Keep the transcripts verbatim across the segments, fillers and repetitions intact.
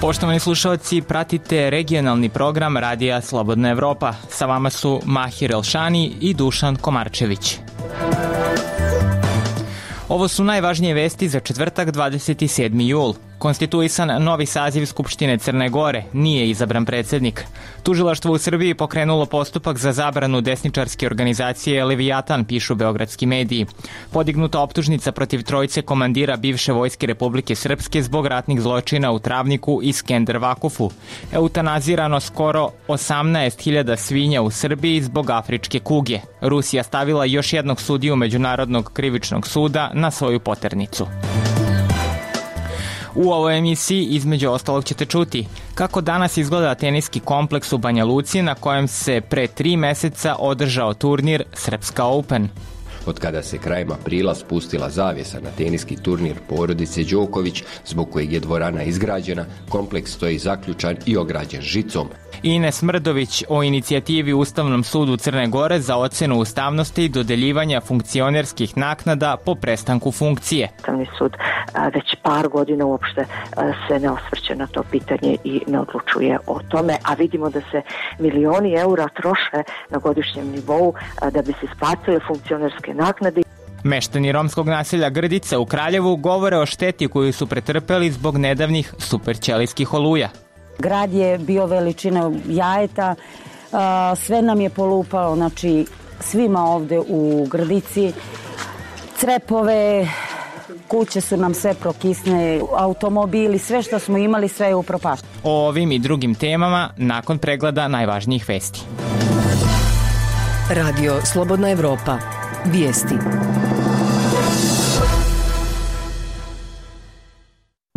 Poštovani slušalci, pratite regionalni program Radija Slobodna Evropa. Sa vama su Mahir Elšani i Dušan Komarčević. Ovo su najvažnije vesti za četvrtak dvadeset sedmi jul. Konstituisan novi saziv Skupštine Crne Gore, nije izabran predsednik. Tužilaštvo u Srbiji pokrenulo postupak za zabranu desničarske organizacije Levijatan, pišu beogradski mediji. Podignuta optužnica protiv trojice komandira bivše vojske Republike Srpske zbog ratnih zločina u Travniku i Skender Vakufu. Eutanazirano skoro osamnaest hiljada svinja u Srbiji zbog afričke kuge. Rusija stavila još jednog sudiju Međunarodnog krivičnog suda na svoju poternicu. U ovoj emisiji između ostalog ćete čuti kako danas izgleda teniski kompleks u Banja Luci na kojem se pre tri meseca održao turnir Srpska Open. Od kada se krajem aprila spustila zavjesa na teniski turnir porodice Đoković, zbog kojeg je dvorana izgrađena, kompleks stoji zaključan i ograđen žicom. Ines Mrdović o inicijativi Ustavnom sudu Crne Gore za ocenu ustavnosti i dodeljivanja funkcionerskih naknada po prestanku funkcije. Ustavni sud već par godina uopšte se ne osvrće na to pitanje i ne odlučuje o tome, a vidimo da se milioni eura troše na godišnjem nivou da bi se isplatile funkcionerske naknade. Meštani romskog naselja Grdica u Kraljevu govore o šteti koju su pretrpeli zbog nedavnih superćelijskih oluja. Grad je bio veličine jajeta, sve nam je polupalo, znači svima ovde u Grdici, crepove, kuće su nam sve prokisne, automobili, sve što smo imali, sve je upropašteno. O ovim i drugim temama nakon pregleda najvažnijih vesti. Radio Slobodna Evropa. Vijesti.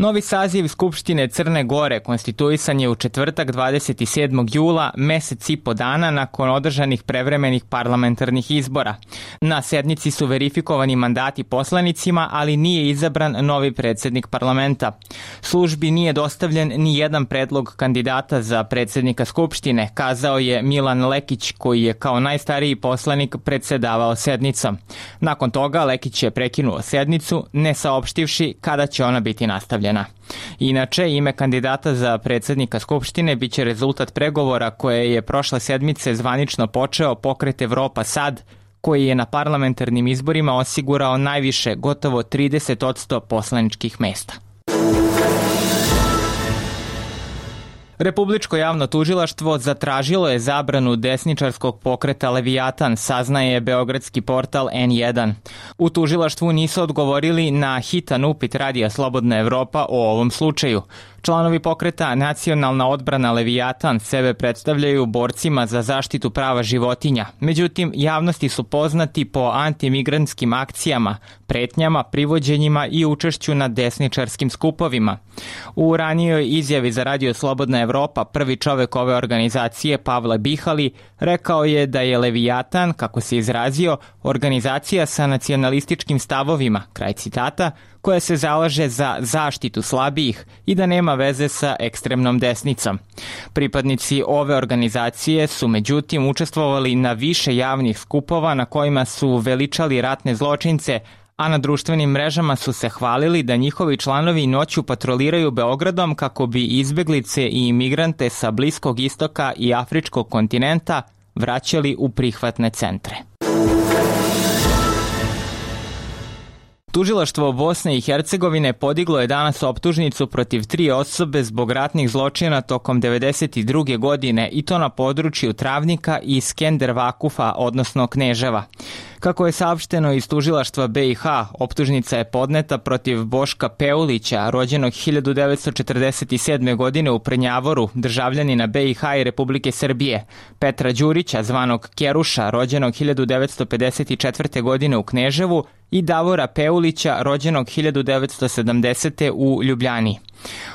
Novi saziv Skupštine Crne Gore konstituisan je u četvrtak dvadeset sedmog jula, mesec i po dana nakon održanih prevremenih parlamentarnih izbora. Na sednici su verifikovani mandati poslanicima, ali nije izabran novi predsednik parlamenta. Službi nije dostavljen ni jedan predlog kandidata za predsednika Skupštine, kazao je Milan Lekić, koji je kao najstariji poslanik predsedavao sednicom. Nakon toga Lekić je prekinuo sednicu, ne saopštivši kada će ona biti nastavljena. Inače, ime kandidata za predsednika Skupštine biće rezultat pregovora koje je prošle sedmice zvanično počeo Pokret Evropa Sad, koji je na parlamentarnim izborima osigurao najviše, gotovo trideset posto poslaničkih mesta. Republičko javno tužilaštvo zatražilo je zabranu desničarskog pokreta Levijatan, saznaje beogradski portal en jedan. U tužilaštvu nisu odgovorili na hitan upit Radija Slobodna Evropa o ovom slučaju. Članovi pokreta Nacionalna odbrana Levijatan sebe predstavljaju borcima za zaštitu prava životinja. Međutim, javnosti su poznati po antimigrantskim akcijama, pretnjama, privođenjima i učešću na desničarskim skupovima. U ranijoj izjavi za Radio Slobodna Evropa prvi čovek ove organizacije, Pavle Bihali, rekao je da je Levijatan, kako se izrazio, organizacija sa nacionalističkim stavovima, kraj citata, koja se zalaže za zaštitu slabijih i da nema veze sa ekstremnom desnicom. Pripadnici ove organizacije su međutim učestvovali na više javnih skupova na kojima su veličali ratne zločince, a na društvenim mrežama su se hvalili da njihovi članovi noću patroliraju Beogradom kako bi izbeglice i imigrante sa Bliskog istoka i Afričkog kontinenta vraćali u prihvatne centre. Tužilaštvo Bosne i Hercegovine podiglo je danas optužnicu protiv tri osobe zbog ratnih zločina tokom devedeset druge godine i to na području Travnika i Skender Vakufa, odnosno Kneževa. Kako je saopšteno iz tužilaštva be i ha, optužnica je podneta protiv Boška Peulića, rođenog hiljadu devetsto četrdeset sedme. godine u Prnjavoru, državljanina be i ha i Republike Srbije, Petra Đurića, zvanog Keruša, rođenog hiljadu devetsto pedeset četvrte. godine u Kneževu, i Davora Peulića, rođenog hiljadu devetsto sedamdesete. u Ljubljani.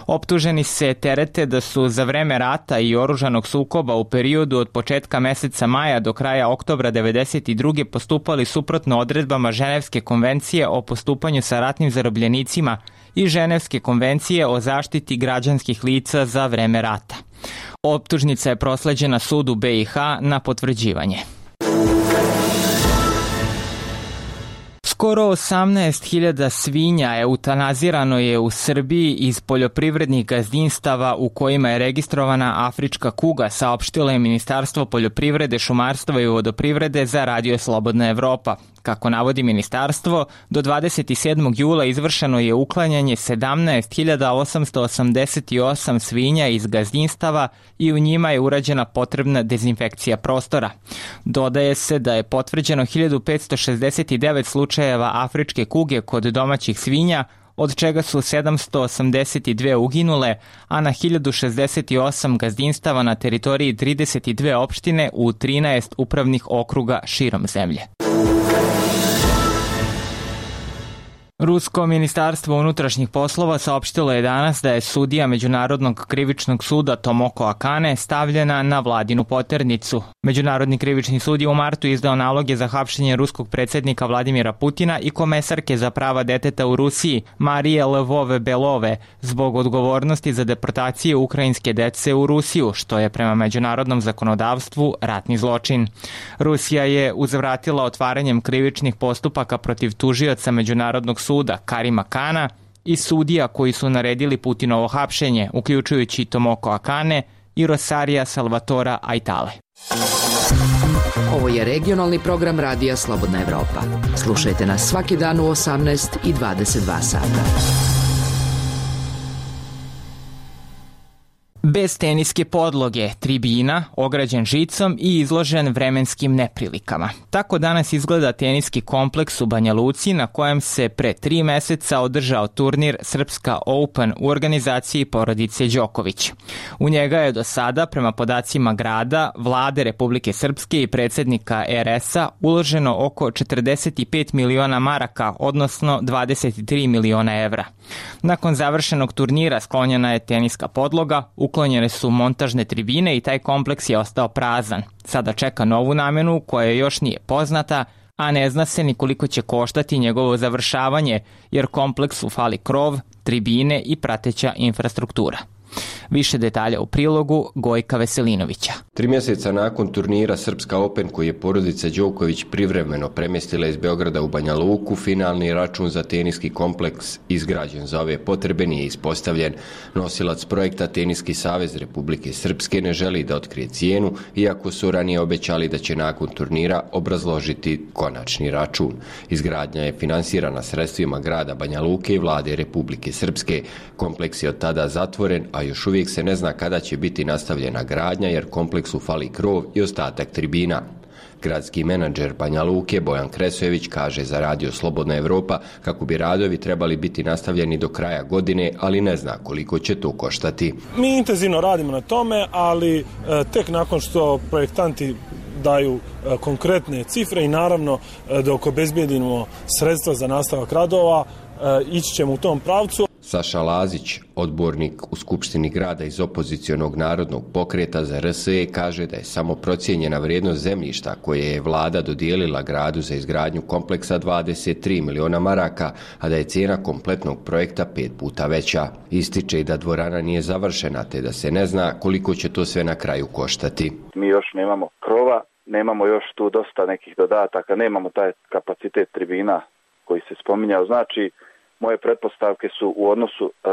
Optuženi se terete da su za vreme rata i oružanog sukoba u periodu od početka meseca maja do kraja oktobra devedeset druge. postupali suprotno odredbama Ženevske konvencije o postupanju sa ratnim zarobljenicima i Ženevske konvencije o zaštiti građanskih lica za vreme rata. Optužnica je prosleđena sudu be i ha na potvrđivanje. Skoro osamnaest hiljada svinja eutanazirano je u Srbiji iz poljoprivrednih gazdinstava u kojima je registrovana afrička kuga, saopštilo je Ministarstvo poljoprivrede, šumarstva i vodoprivrede za Radio Slobodna Evropa. Kako navodi ministarstvo, do dvadeset sedmog jula izvršeno je uklanjanje sedamnaest hiljada osamsto osamdeset osam svinja iz gazdinstava i u njima je urađena potrebna dezinfekcija prostora. Dodaje se da je potvrđeno hiljadu petsto šezdeset devet slučajeva afričke kuge kod domaćih svinja, od čega su sedamsto osamdeset dve uginule, a na hiljadu šezdeset osam gazdinstava na teritoriji trideset dve opštine u trinaest upravnih okruga širom zemlje. Rusko ministarstvo unutrašnjih poslova saopštilo je danas da je sudija Međunarodnog krivičnog suda Tomoko Akane stavljena na vladinu poternicu. Međunarodni krivični sud je u martu izdao naloge za hapšenje ruskog predsjednika Vladimira Putina i komesarke za prava deteta u Rusiji Marije Lvove-Belove zbog odgovornosti za deportacije ukrajinske dece u Rusiju, što je prema međunarodnom zakonodavstvu ratni zločin. Rusija je uzvratila otvaranjem krivičnih postupaka protiv tužioca Međunarodnog suda Karima Kana i sudija koji su naredili Putinovo hapšenje, uključujući Tomoko Akane i Rosarija Salvatora Aitale. Ovo je regionalni program Radija Slobodna Evropa. Slušajte nas svaki dan u osamnaest i dvadeset dva sata. Bez teniske podloge, tribina, ograđen žicom i izložen vremenskim neprilikama. Tako danas izgleda teniski kompleks u Banja Luci na kojem se pre tri meseca održao turnir Srpska Open u organizaciji porodice Đoković. U njega je do sada, prema podacima grada, vlade Republike Srpske i predsjednika er es a uloženo oko četrdeset pet miliona maraka, odnosno dvadeset tri miliona evra. Nakon završenog turnira sklonjena je teniska podloga, uklonjene su montažne tribine i taj kompleks je ostao prazan. Sada čeka novu namenu koja još nije poznata, a ne zna se ni koliko će koštati njegovo završavanje, jer kompleksu fali krov, tribine i prateća infrastruktura. Više detalja u prilogu Gojka Veselinovića. Tri mjeseca nakon turnira Srpska Open koji je porodica Đoković privremeno premjestila iz Beograda u Banja Luku, finalni račun za teniski kompleks izgrađen za ove potrebe nije ispostavljen. Nosilac projekta Teniski savez Republike Srpske ne želi da otkrije cijenu, iako su ranije obećali da će nakon turnira obrazložiti konačni račun. Izgradnja je finansirana sredstvima grada Banja Luke i vlade Republike Srpske. Kompleks je od tada zatvoren, a još uvijek se ne zna kada će biti nastavljena gradnja jer kompleksu fali krov i ostatak tribina. Gradski menadžer Banja Luke Bojan Kresojević kaže za Radio Slobodna Evropa kako bi radovi trebali biti nastavljeni do kraja godine, ali ne zna koliko će to koštati. Mi intenzivno radimo na tome, ali e, tek nakon što projektanti daju e, konkretne cifre i naravno e, dok obezbijedimo sredstva za nastavak radova, e, ići ćemo u tom pravcu. Saša Lazić, odbornik u Skupštini grada iz opozicionog narodnog pokreta za er es e, kaže da je samo procijenjena vrijednost zemljišta koje je vlada dodijelila gradu za izgradnju kompleksa dvadeset tri miliona maraka, a da je cijena kompletnog projekta pet puta veća. Ističe i da dvorana nije završena, te da se ne zna koliko će to sve na kraju koštati. Mi još nemamo krova, nemamo još tu dosta nekih dodataka, nemamo taj kapacitet tribina koji se spominjao, znači moje pretpostavke su u odnosu e,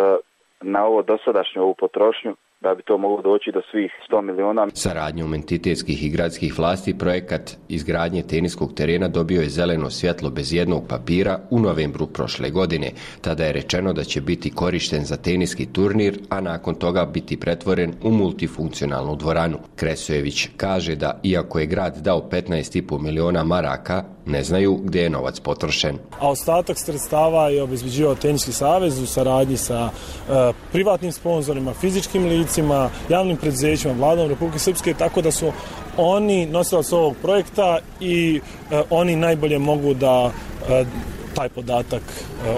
na ovo dosadašnju ovu potrošnju da bi to moglo doći do svih sto miliona. Saradnjom entitetskih i gradskih vlasti projekat izgradnje teniskog terena dobio je zeleno svjetlo bez jednog papira u novembru prošle godine. Tada je rečeno da će biti korišten za teniski turnir, a nakon toga biti pretvoren u multifunkcionalnu dvoranu. Kresojević kaže da iako je grad dao petnaest i po miliona maraka, ne znaju gdje je novac potrošen. A ostatak sredstava je obezbeđivao Teniski savez u saradnji sa e, privatnim sponzorima, fizičkim licima, javnim preduzećima, vladom Republike Srpske, tako da su oni nosilac ovog projekta i e, oni najbolje mogu da e, taj podatak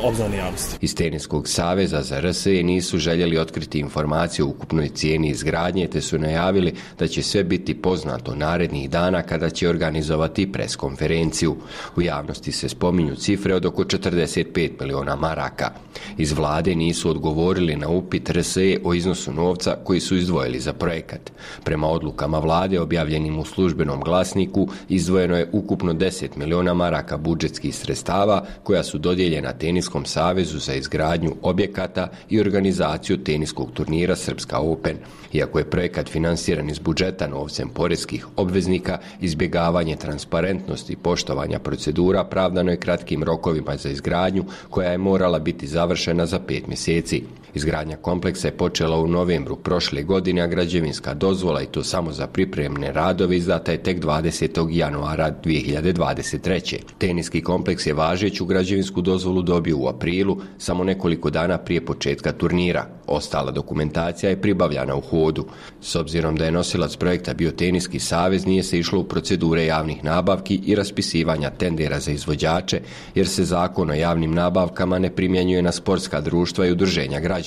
obznani javnosti. Iz Teniskog saveza za R S E nisu željeli otkriti informacije o ukupnoj cijeni izgradnje, te su najavili da će sve biti poznato narednih dana kada će organizovati preskonferenciju. U javnosti se spominju cifre od oko četrdeset pet miliona maraka. Iz vlade nisu odgovorili na upit R S E o iznosu novca koji su izdvojili za projekat. Prema odlukama vlade objavljenim u službenom glasniku izdvojeno je ukupno deset miliona maraka budžetskih sredstava koja su dodijeljena Teniskom savezu za izgradnju objekata i organizaciju teniskog turnira Srpska Open. Iako je projekat finansiran iz budžeta novcem poreskih obveznika, izbjegavanje transparentnosti i poštovanja procedura pravdano je kratkim rokovima za izgradnju koja je morala biti završena za pet mjeseci. Izgradnja kompleksa je počela u novembru prošle godine, a građevinska dozvola, i to samo za pripremne radove, izdata je tek dvadesetog januara dvije hiljade dvadeset treće. Teniski kompleks je važeću građevinsku dozvolu dobio u aprilu, samo nekoliko dana prije početka turnira. Ostala dokumentacija je pribavljana u hodu. S obzirom da je nosilac projekta bio Teniski savez, nije se išlo u procedure javnih nabavki i raspisivanja tendera za izvođače, jer se zakon o javnim nabavkama ne primjenjuje na sportska društva i udruženja građana.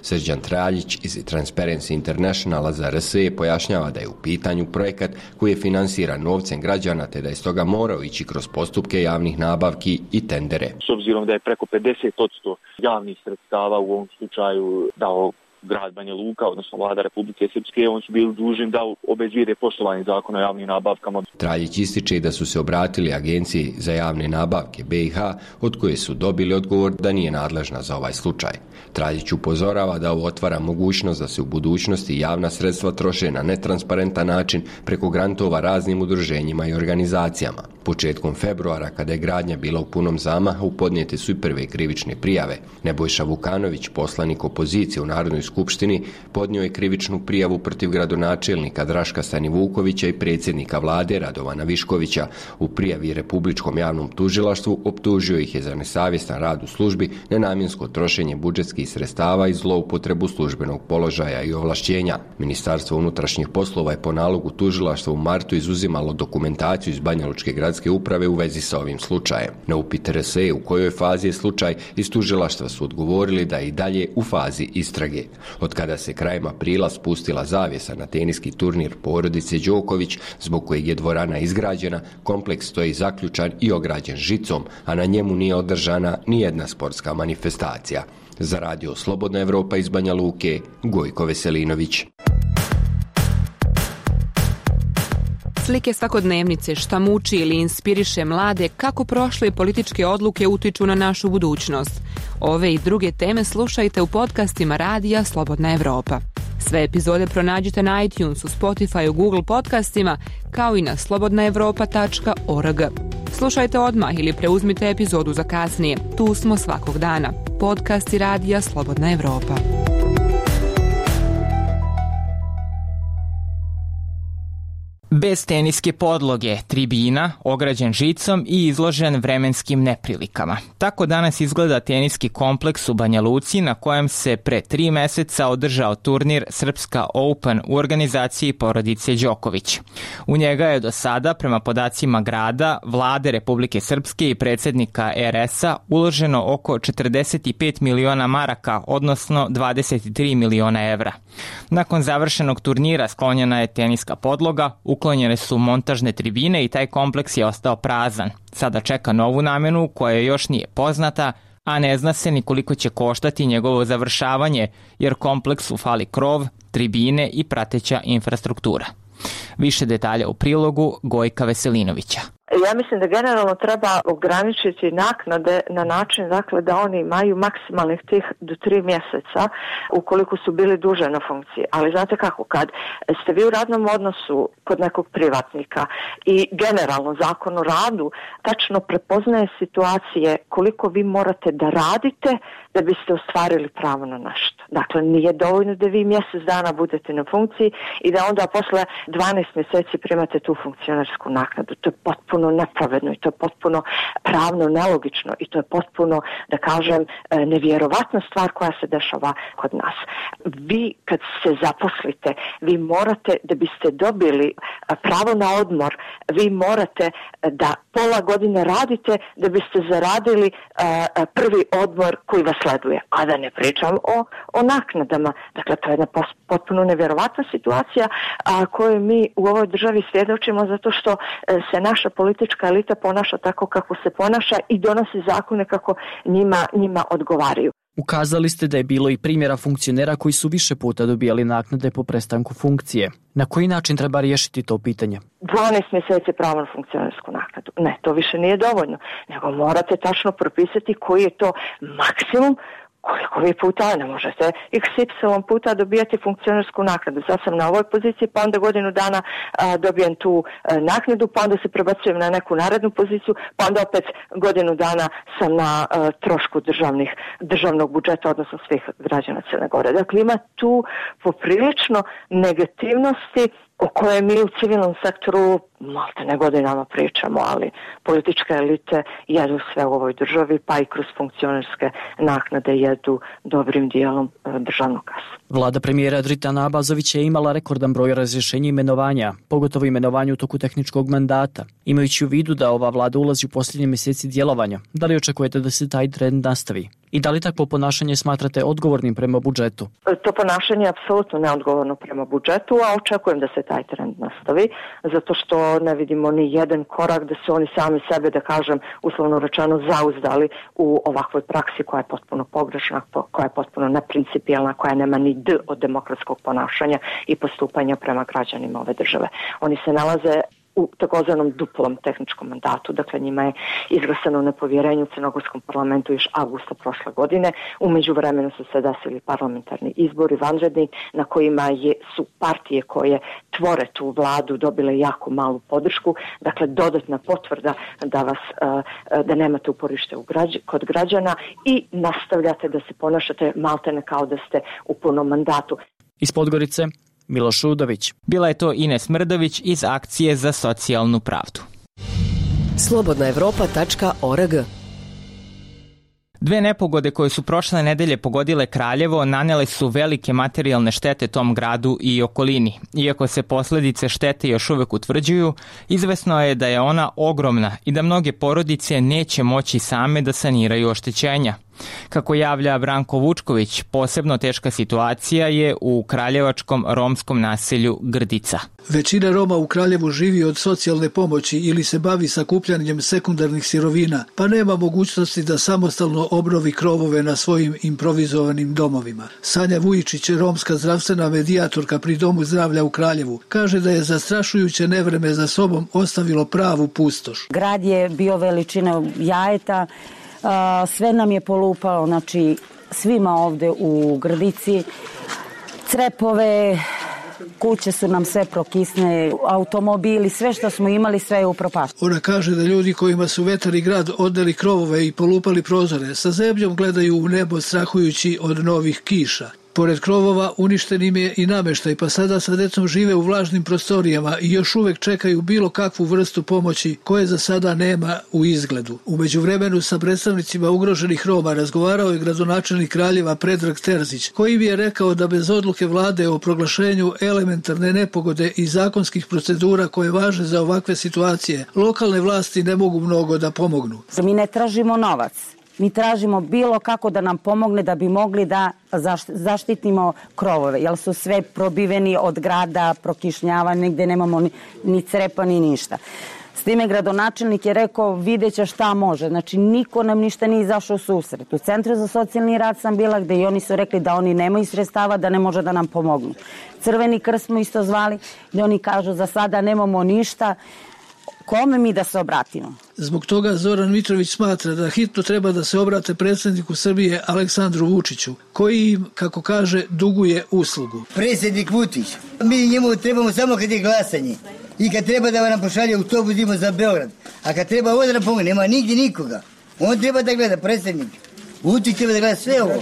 Srđan Traljić iz Transparency Internationala za R S E pojašnjava da je u pitanju projekat koji je finansiran novcem građana, te da je stoga morao ići kroz postupke javnih nabavki i tendere. S obzirom da je preko pedeset posto javnih sredstava u ovom slučaju dao grad Banja Luka, odnosno vlada Republike Srpske, oni su bili dužni da obezbijede poštovanje zakona o javnim nabavkama. Traljić ističe da su se obratili Agenciji za javne nabavke B i H, od koje su dobili odgovor da nije nadležna za ovaj slučaj. Traljić upozorava da ovo otvara mogućnost da se u budućnosti javna sredstva troše na netransparentan način preko grantova raznim udruženjima i organizacijama. Početkom februara, kada je gradnja bila u punom zamahu, podnijete su i prve krivične prijave. Nebojša Vukanović, poslanik opozicije u Narodnoj skupštini, podnio je krivičnu prijavu protiv gradonačelnika Draška Stanivukovića i predsjednika vlade Radovana Viškovića. U prijavi Republičkom javnom tužilaštvu optužio ih je za nesavjestan rad u službi, nenamjensko trošenje budžetskih sredstava i zloupotrebu službenog položaja i ovlašćenja. Ministarstvo unutrašnjih poslova je po nalogu tužilaštva u martu izuzimalo dokumentaciju iz Banjalučke gradske uprave u vezi sa ovim slučajem. Na upit R S E u kojoj fazi je slučaj, iz tužilaštva su odgovorili da je i dalje u fazi istrage. Od kada se krajem aprila spustila zavjesa na teniski turnir porodice Đoković, zbog kojeg je dvorana izgrađena, kompleks stoji zaključan i ograđen žicom, a na njemu nije održana ni jedna sportska manifestacija. Za Radio Slobodna Evropa iz Banja Luke, Gojko Veselinović. Slike svakodnevnice, šta muči ili inspiriše mlade, kako prošle političke odluke utiču na našu budućnost. Ove i druge teme slušajte u podcastima Radija Slobodna Evropa. Sve epizode pronađite na iTunesu, Spotifyu, Google podcastima, kao i na slobodna evropa tačka org. Slušajte odmah ili preuzmite epizodu za kasnije. Tu smo svakog dana. Podcasti Radija Slobodna Evropa. Bez teniske podloge, tribina, ograđen žicom i izložen vremenskim neprilikama. Tako danas izgleda teniski kompleks u Banja Luci, na kojem se pre tri meseca održao turnir Srpska Open u organizaciji porodice Đoković. U njega je do sada, prema podacima grada, vlade Republike Srpske i predsjednika R S A, uloženo oko četrdeset pet miliona maraka, odnosno dvadeset tri miliona evra. Nakon završenog turnira sklonjena je teniska podloga, uklonjene su montažne tribine i taj kompleks je ostao prazan. Sada čeka novu namjenu koja još nije poznata, a ne zna se ni koliko će koštati njegovo završavanje, jer kompleksu fali krov, tribine i prateća infrastruktura. Više detalja u prilogu Gojka Veselinovića. Ja mislim da generalno treba ograničiti naknade na način, dakle, da oni imaju maksimalnih tih do tri mjeseca ukoliko su bili duže na funkciji. Ali znate kako, kad ste vi u radnom odnosu kod nekog privatnika i generalno zakon o radu tačno prepoznaje situacije koliko vi morate da radite da biste ostvarili pravo na nešto. Dakle, nije dovoljno da vi mjesec dana budete na funkciji i da onda posle dvanaest mjeseci primate tu funkcionarsku naknadu. To je potpuno potpuno nepravedno i to je potpuno pravno nelogično i to je potpuno, da kažem, nevjerovatna stvar koja se dešava kod nas. Vi kad se zaposlite, vi morate, da biste dobili pravo na odmor, vi morate da pola godine radite da biste zaradili prvi odmor koji vas sleduje. A da ne pričam o, o naknadama. Dakle, to je jedna potpuno nevjerovatna situacija a, koju mi u ovoj državi svjedočimo zato što se naša politička elita ponaša tako kako se ponaša i donosi zakone kako njima, njima odgovaraju. Ukazali ste da je bilo i primjera funkcionera koji su više puta dobijali naknade po prestanku funkcije. Na koji način treba riješiti to pitanje? dvanaest mjeseci pravo na funkcionersku naknadu. Ne, to više nije dovoljno. Nego morate tačno propisati koji je to maksimum koliko vi puta, ne možete iks ipsilon puta dobijati funkcionersku naknadu. Sad sam na ovoj poziciji, pa onda godinu dana a, dobijem tu a, naknadu, pa onda se prebacujem na neku narednu poziciju, pa onda opet godinu dana sam na a, trošku državnih, državnog budžeta, odnosno svih građana Crne Gore. Dakle, ima tu poprilično negativnosti o kojoj mi u civilnom sektoru malte ne godinama pričamo, ali političke elite jedu sve u ovoj državi, pa i kroz funkcionerske naknade jedu dobrim dijelom državnog kasa. Vlada premijera Dritana Abazovića je imala rekordan broj razrješenja i imenovanja, pogotovo imenovanja u toku tehničkog mandata. Imajući u vidu da ova vlada ulazi u posljednje mjeseci djelovanja, da li očekujete da se taj trend nastavi? I da li takvo ponašanje smatrate odgovornim prema budžetu? To ponašanje je apsolutno neodgovorno prema budžetu, a očekujem da se taj trend nastavi, zato što ne vidimo ni jedan korak da se oni sami sebe, da kažem, uslovno rečeno, zauzdali u ovakvoj praksi koja je potpuno pogrešna, koja je potpuno neprincipijelna, koja nema ni d od demokratskog ponašanja i postupanja prema građanima ove države. Oni se nalaze u takozvanom duplom tehničkom mandatu. Dakle, njima je izglasano nepovjerenje u Crnogorskom parlamentu još avgusta prošle godine. U međuvremenu su se desili parlamentarni izbori vanredni na kojima je, su partije koje tvore tu vladu dobile jako malu podršku. Dakle, dodatna potvrda da vas da nemate uporište u građ, kod građana i nastavljate da se ponašate maltene kao da ste u punom mandatu. Iz Podgorice Miloš Udović. Bila je to Ines Mrdović iz Akcije za socijalnu pravdu. slobodna evropa tačka org. Dve nepogode koje su prošle nedelje pogodile Kraljevo nanele su velike materijalne štete tom gradu i okolini. Iako se posljedice štete još uvek utvrđuju, izvesno je da je ona ogromna i da mnoge porodice neće moći same da saniraju oštećenja. Kako javlja Branko Vučković, posebno teška situacija je u kraljevačkom romskom naselju Grdica. Većina Roma u Kraljevu živi od socijalne pomoći ili se bavi sakupljanjem sekundarnih sirovina, pa nema mogućnosti da samostalno obnovi krovove na svojim improvizovanim domovima. Sanja Vujičić, romska zdravstvena medijatorka pri Domu zdravlja u Kraljevu, kaže da je zastrašujuće nevreme za sobom ostavilo pravu pustoš. Grad je bio veličine jajeta, sve nam je polupalo, znači svima ovde u Grdici, crepove, kuće su nam sve prokisne, automobili, sve što smo imali, sve je upropašteno. Ona kaže da ljudi kojima su vetar i grad odneli krovove i polupali prozore, sa zebljom gledaju u nebo strahujući od novih kiša. Pored krovova uništen im je i namještaj, pa sada sa decom žive u vlažnim prostorijama i još uvek čekaju bilo kakvu vrstu pomoći koje za sada nema u izgledu. U međuvremenu sa predstavnicima ugroženih Roma razgovarao je gradonačelnik Kraljeva Predrag Terzić, koji bi je rekao da bez odluke vlade o proglašenju elementarne nepogode i zakonskih procedura koje važe za ovakve situacije, lokalne vlasti ne mogu mnogo da pomognu. Mi ne tražimo novac. Mi tražimo bilo kako da nam pomogne da bi mogli da zaštitimo krovove, jer su sve probiveni od grada, prokišnjavani, gde nemamo ni, ni crepa ni ništa. S time gradonačelnik je rekao vidjet će šta može, znači niko nam ništa nije izašao u susret. U Centru za socijalni rad sam bila gde i oni su rekli da oni nemaju sredstava, da ne može da nam pomognu. Crveni krst smo isto zvali, gde oni kažu za sada nemamo ništa. Kome mi da se obratimo? Zbog toga Zoran Mitrović smatra da hitno treba da se obrate predsjedniku Srbije Aleksandru Vučiću, koji im, kako kaže, duguje uslugu. Predsjednik Vučić, mi njemu trebamo samo kad je glasanje i kad treba da nam pošalje autobus idemo za Beograd, a kad treba ovdje da pomogne, nema nigdje nikoga. On treba da gleda, predsjednik. Uči treba da gleda sve ovo.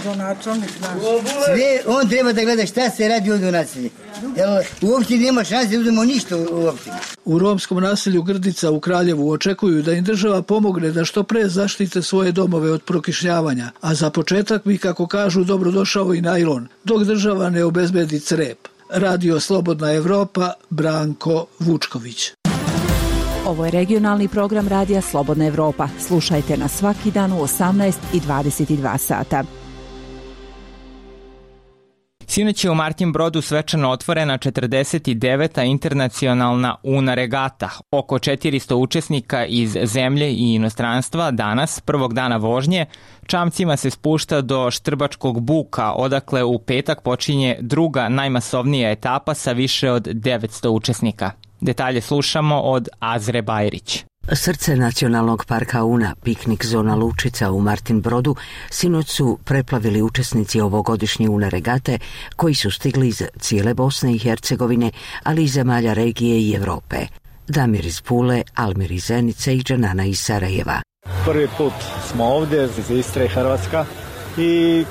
Sve, on treba da gleda šta se radi ovdje u naselju. U opštini nema šanse da uzmemo ništa u opštini. U romskom naselju Grdica u Kraljevu očekuju da im država pomogne da što pre zaštite svoje domove od prokišnjavanja, a za početak bi, kako kažu, dobrodošao i najlon, dok država ne obezbedi crep. Radio Slobodna Evropa, Branko Vučković. Ovo je regionalni program Radija Slobodna Evropa. Slušajte nas svaki dan u osamnaest i dvadeset dva sata. Sinoć je u Martin Brodu svečano otvorena četrdeset deveta internacionalna Una regata. Oko četiristo učesnika iz zemlje i inostranstva danas, prvog dana vožnje, čamcima se spušta do Štrbačkog buka, odakle u petak počinje druga najmasovnija etapa sa više od devetsto učesnika. Detalje slušamo od Azre Bajrić. Srce nacionalnog parka Una, piknik zona Lučica u Martin Brodu, sinoć su preplavili učesnici ovogodišnje Una regate koji su stigli iz cijele Bosne i Hercegovine, ali i zemalja regije i Evrope. Damir iz Pule, Almir iz Zenice i Džanana iz Sarajeva. Prvi put smo ovdje iz Istre i Hrvatska i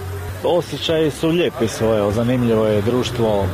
osjećaji su lijepi svoje, zanimljivo je društvo,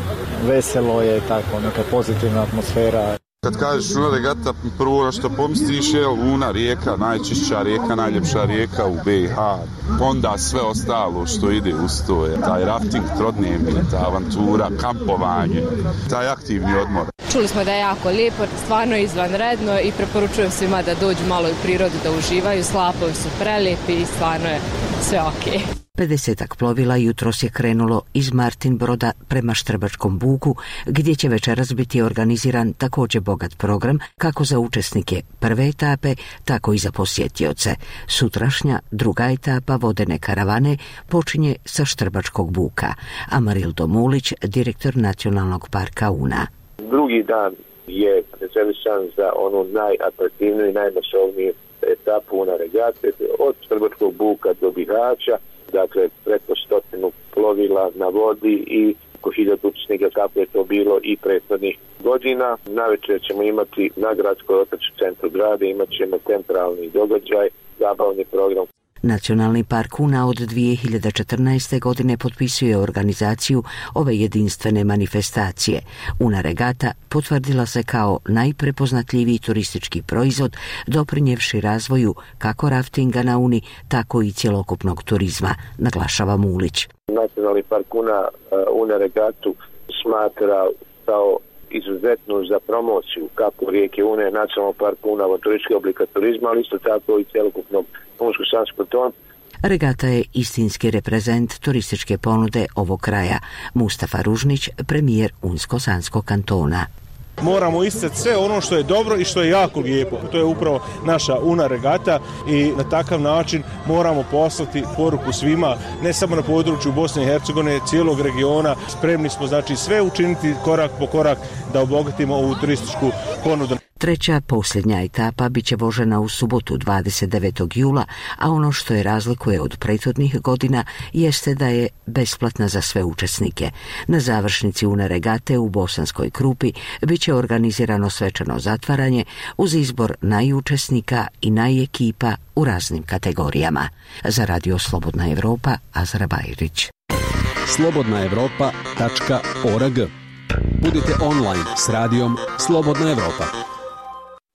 veselo je, tako neka pozitivna atmosfera. Kad kažeš Una regata, prvo što pomisliš je Una rijeka, najčišća rijeka, najljepša rijeka u B i H. Onda sve ostalo što ide uz to je taj rafting, trodnevni, ta avantura, kampovanje, taj aktivni odmor. Čuli smo da je jako lijepo, stvarno izvanredno i preporučujem svima da dođu malo u prirodu da uživaju, slapovi su prelijepi i stvarno je sve okej. pedesetak plovila jutros je krenulo iz Martin Broda prema Štrbačkom buku, gdje će večeras biti organiziran također bogat program kako za učesnike prve etape, tako i za posjetioce. Sutrašnja druga etapa vodene karavane počinje sa Štrbačkog buka. Amarildo Mulić, direktor Nacionalnog parka Una. Drugi dan je rezervisan za onu najatraktivniju i najmasovniju etapu Una regate od Štrbačkog buka do Bihaća. Dakle, preko stotinu plovila na vodi i oko hiljadu učesnika kako je to bilo i prethodnih godina. Navečer ćemo imati na gradskoj otočnom centru grada, imat ćemo centralni događaj, zabavni program. Nacionalni park Una od dvije hiljade četrnaeste. godine potpisuje organizaciju ove jedinstvene manifestacije. Una regata potvrdila se kao najprepoznatljiviji turistički proizvod, doprinjevši razvoju kako raftinga na Uni, tako i cjelokupnog turizma, naglašava Mulić. Nacionalni park Una, Una regatu smatra kao izuzetnu za promociju kako rijeke Une, nacionalnog parka Una, turističkih oblika turizma, ali isto tako i cjelokupnog Unsko-Sanskog tona. Regata je istinski reprezent turističke ponude ovog kraja. Mustafa Ružnić, premijer Unsko-Sanskog kantona. Moramo isticati sve ono što je dobro i što je jako lijepo. To je upravo naša Una regata i na takav način moramo poslati poruku svima, ne samo na području Bosne i Hercegovine, cijelog regiona. Spremni smo znači sve učiniti korak po korak da obogatimo ovu turističku ponudu. Treća, posljednja etapa bit će vožena u subotu dvadeset devetog jula, a ono što je razlikuje od prethodnih godina jeste da je besplatna za sve učesnike. Na završnici Una regate u Bosanskoj Krupi bit će organizirano svečano zatvaranje uz izbor najučesnika i najekipa u raznim kategorijama. Za Radio Slobodna Evropa, Azra Bajrić. slobodna evropa tačka org. Budite online s radijom Slobodna Evropa.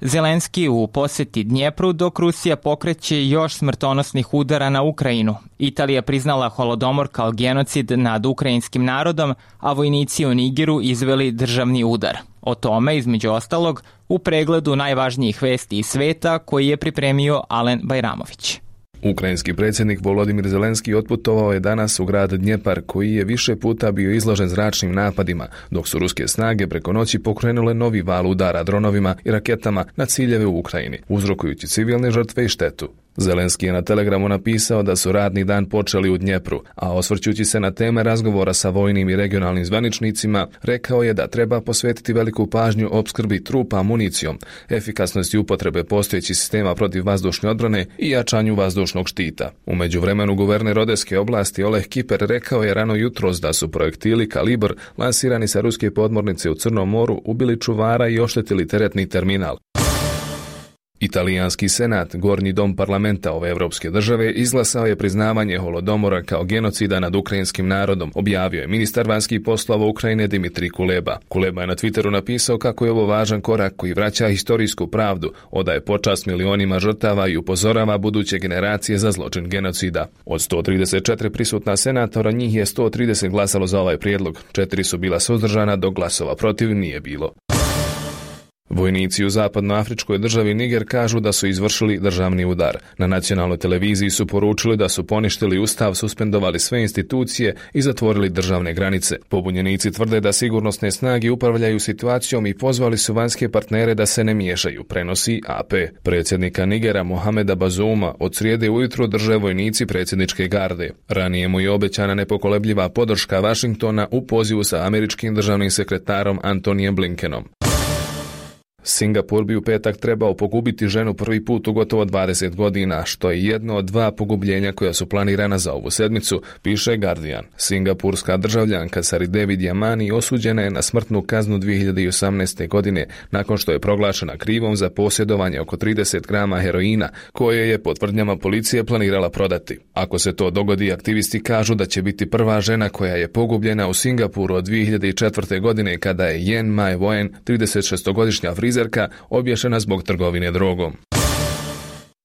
Zelenski u posjeti Dnjepru, dok Rusija pokreće još smrtonosnih udara na Ukrajinu. Italija priznala Holodomor kao genocid nad ukrajinskim narodom, a vojnici u Nigeru izveli državni udar. O tome, između ostalog, u pregledu najvažnijih vesti iz sveta koji je pripremio Alen Bajramović. Ukrajinski predsjednik Volodimir Zelenski otputovao je danas u grad Dnjepar, koji je više puta bio izložen zračnim napadima, dok su ruske snage preko noći pokrenule novi val udara dronovima i raketama na ciljeve u Ukrajini, uzrokujući civilne žrtve i štetu. Zelenski je na Telegramu napisao da su radni dan počeli u Dnjepru, a osvrćući se na teme razgovora sa vojnim i regionalnim zvaničnicima, rekao je da treba posvetiti veliku pažnju opskrbi trupa municijom, efikasnosti upotrebe postojećih sistema protiv vazdušne odbrane i jačanju vazdušnog štita. U međuvremenu guverner Odeske oblasti Oleh Kiper rekao je rano jutros da su projektili Kalibr lansirani sa ruske podmornice u Crnom moru ubili čuvara i oštetili teretni terminal. Italijanski senat, gornji dom parlamenta ove evropske države, izglasao je priznavanje holodomora kao genocida nad ukrajinskim narodom, objavio je ministar vanjskih poslova Ukrajine Dimitrij Kuleba. Kuleba je na Twitteru napisao kako je ovo važan korak koji vraća historijsku pravdu, odaje počast milionima žrtava i upozorava buduće generacije za zločin genocida. Od sto trideset četiri prisutna senatora, njih je sto trideset glasalo za ovaj prijedlog, četiri su bila suzdržana, dok glasova protiv nije bilo. Vojnici u zapadnoafričkoj državi Niger kažu da su izvršili državni udar. Na nacionalnoj televiziji su poručili da su poništili ustav, suspendovali sve institucije i zatvorili državne granice. Pobunjenici tvrde da sigurnosne snage upravljaju situacijom i pozvali su vanjske partnere da se ne miješaju, prenosi A P. Predsjednika Nigera Mohameda Bazouma od srijede ujutro drže vojnici predsjedničke garde. Ranije mu je obećana nepokolebljiva podrška Vašingtona u pozivu sa američkim državnim sekretarom Antonijem Blinkenom. Singapur bi u petak trebao pogubiti ženu prvi put u gotovo dvadeset godina, što je jedno od dva pogubljenja koja su planirana za ovu sedmicu, piše Guardian. Singapurska državljanka Saridevi Diamani osuđena je na smrtnu kaznu dvije hiljade osamnaeste. godine nakon što je proglašena krivom za posjedovanje oko trideset grama heroina, koje je po tvrdnjama policije planirala prodati. Ako se to dogodi, aktivisti kažu da će biti prva žena koja je pogubljena u Singapuru od dvije hiljade četvrte. godine kada je Yen Mai Wen, trideset šestogodišnja frizerka, obješena zbog trgovine drogom.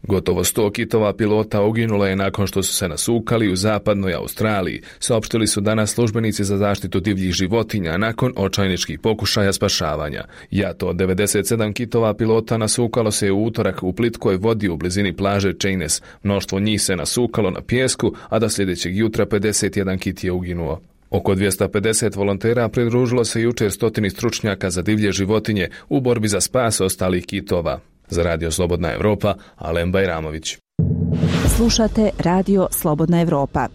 Gotovo sto kitova pilota uginulo je nakon što su se nasukali u zapadnoj Australiji, saopštili su danas službenici za zaštitu divljih životinja nakon očajničkih pokušaja spašavanja. Jato od devedeset sedam kitova pilota nasukalo se u utorak u plitkoj vodi u blizini plaže Cheyness. Mnoštvo njih se nasukalo na pijesku, a do sljedećeg jutra pedeset jedan kit je uginuo. Oko dvjesto pedeset volontera pridružilo se jučer stotini stručnjaka za divlje životinje u borbi za spas ostalih kitova. Za Radio Slobodna Evropa, Alen Bajramović. Slušate Radio Slobodna Evropa.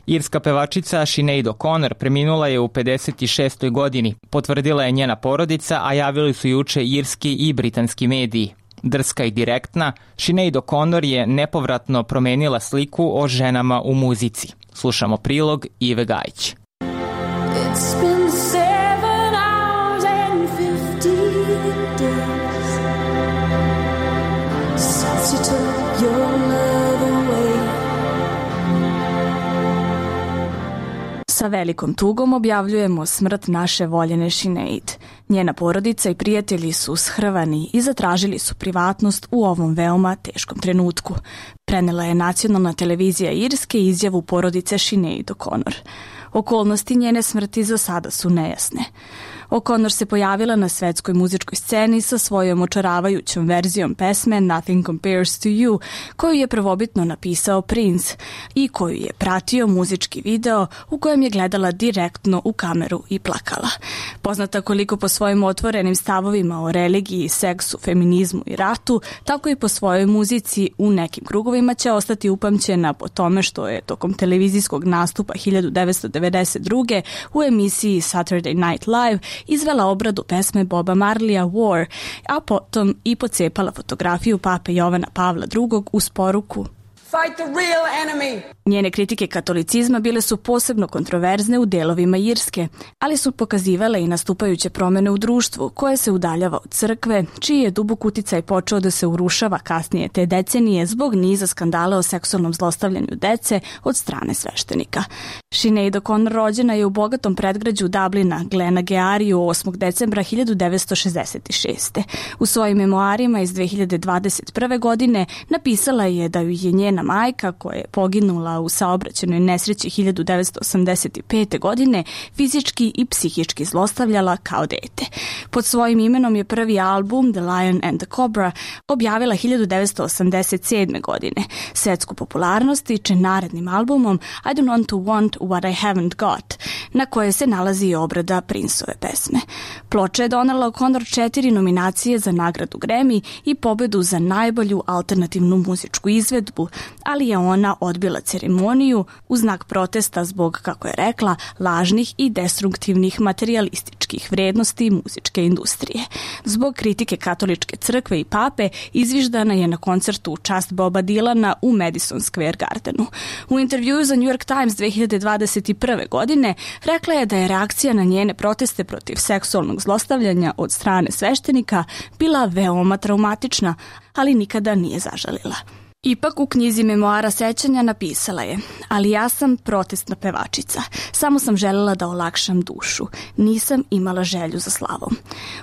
Irska pevačica Sinead O'Connor preminula je u pedeset šestoj. godini. Potvrdila je njena porodica, a javili su juče irski i britanski mediji. Drska i direktna, Sinead O'Connor je nepovratno promenila sliku o ženama u muzici. Slušamo prilog Ive Gajić. It's been seven hours and fifty days since you took your love away. Sa velikom tugom objavljujemo smrt naše voljene Sinead. Njena porodica i prijatelji su shrvani i zatražili su privatnost u ovom veoma teškom trenutku. Prenela je nacionalna televizija Irske izjavu porodice Sinead O'Connor. Okolnosti njene smrti za sada su nejasne. O'Connor se pojavila na svetskoj muzičkoj sceni sa svojom očaravajućom verzijom pesme Nothing Compares to You, koju je prvobitno napisao Prince i koju je pratio muzički video u kojem je gledala direktno u kameru i plakala. Poznata koliko po svojim otvorenim stavovima o religiji, seksu, feminizmu i ratu, tako i po svojoj muzici u nekim krugovima će ostati upamćena po tome što je tokom televizijskog nastupa hiljadu devetsto devedeset druge. u emisiji Saturday Night Live izvela obradu pesme Boba Marleya War, a potom i pocepala fotografiju pape Jovana Pavla drugog uz poruku Fight the real enemy. Njene kritike katolicizma bile su posebno kontroverzne u delovima Irske, ali su pokazivale i nastupajuće promjene u društvu koje se udaljava od crkve, čiji je dubok uticaj počeo da se urušava kasnije te decenije zbog niza skandala o seksualnom zlostavljanju dece od strane sveštenika. Sinead O'Connor rođena je u bogatom predgrađu Dublina, Glenageariju, osmog decembra hiljadu devetsto šezdeset šeste. U svojim memoarima iz dve hiljade dvadeset prve. godine napisala je da ju je njena majka, koja je poginula u saobraćajnoj nesreći hiljadu devetsto osamdeset pete. godine, fizički i psihički zlostavljala kao dete. Pod svojim imenom je prvi album The Lion and the Cobra objavila hiljadu devetsto osamdeset sedme. godine. Svetsku popularnost stiče narednim albumom I Don't Want to Want What I Haven't Got, na koje se nalazi i obrada Princeove pesme. Ploča je donela O'Connor četiri nominacije za nagradu Grammy i pobedu za najbolju alternativnu muzičku izvedbu, ali je ona odbila ceremoniju u znak protesta zbog, kako je rekla, lažnih i destruktivnih materijalističkih vrednosti muzičke industrije. Zbog kritike katoličke crkve i pape izviždana je na koncertu u čast Boba Dylana u Madison Square Gardenu. U intervjuu za New York Times dve hiljade dvadeset dvadeset prve. godine rekla je da je reakcija na njene proteste protiv seksualnog zlostavljanja od strane sveštenika bila veoma traumatična, ali nikada nije zažalila. Ipak u knjizi memoara sećanja napisala je: ali ja sam protestna pevačica. Samo sam želela da olakšam dušu. Nisam imala želju za slavom.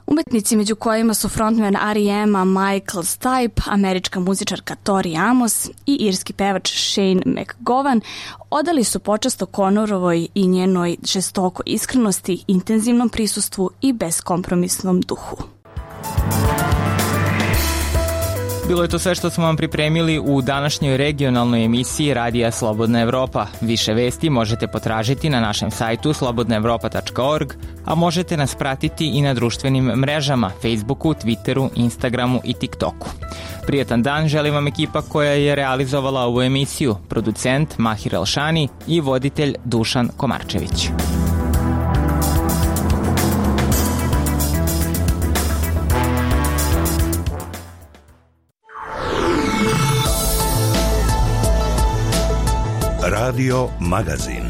Umetnici među kojima su frontman R E M-a Michael Stipe, američka muzičarka Tori Amos i irski pevač Shane McGowan odali su počast O'Connorovoj i njenoj žestokoj iskrenosti, intenzivnom prisustvu i beskompromisnom duhu. Bilo je to sve što smo vam pripremili u današnjoj regionalnoj emisiji Radija Slobodna Evropa. Više vesti možete potražiti na našem sajtu slobodna evropa tačka org, a možete nas pratiti i na društvenim mrežama Facebooku, Twitteru, Instagramu i TikToku. Prijetan dan želim vam ekipa koja je realizovala ovu emisiju, producent Mahir Elšani i voditelj Dušan Komarčević. Radio Magazin.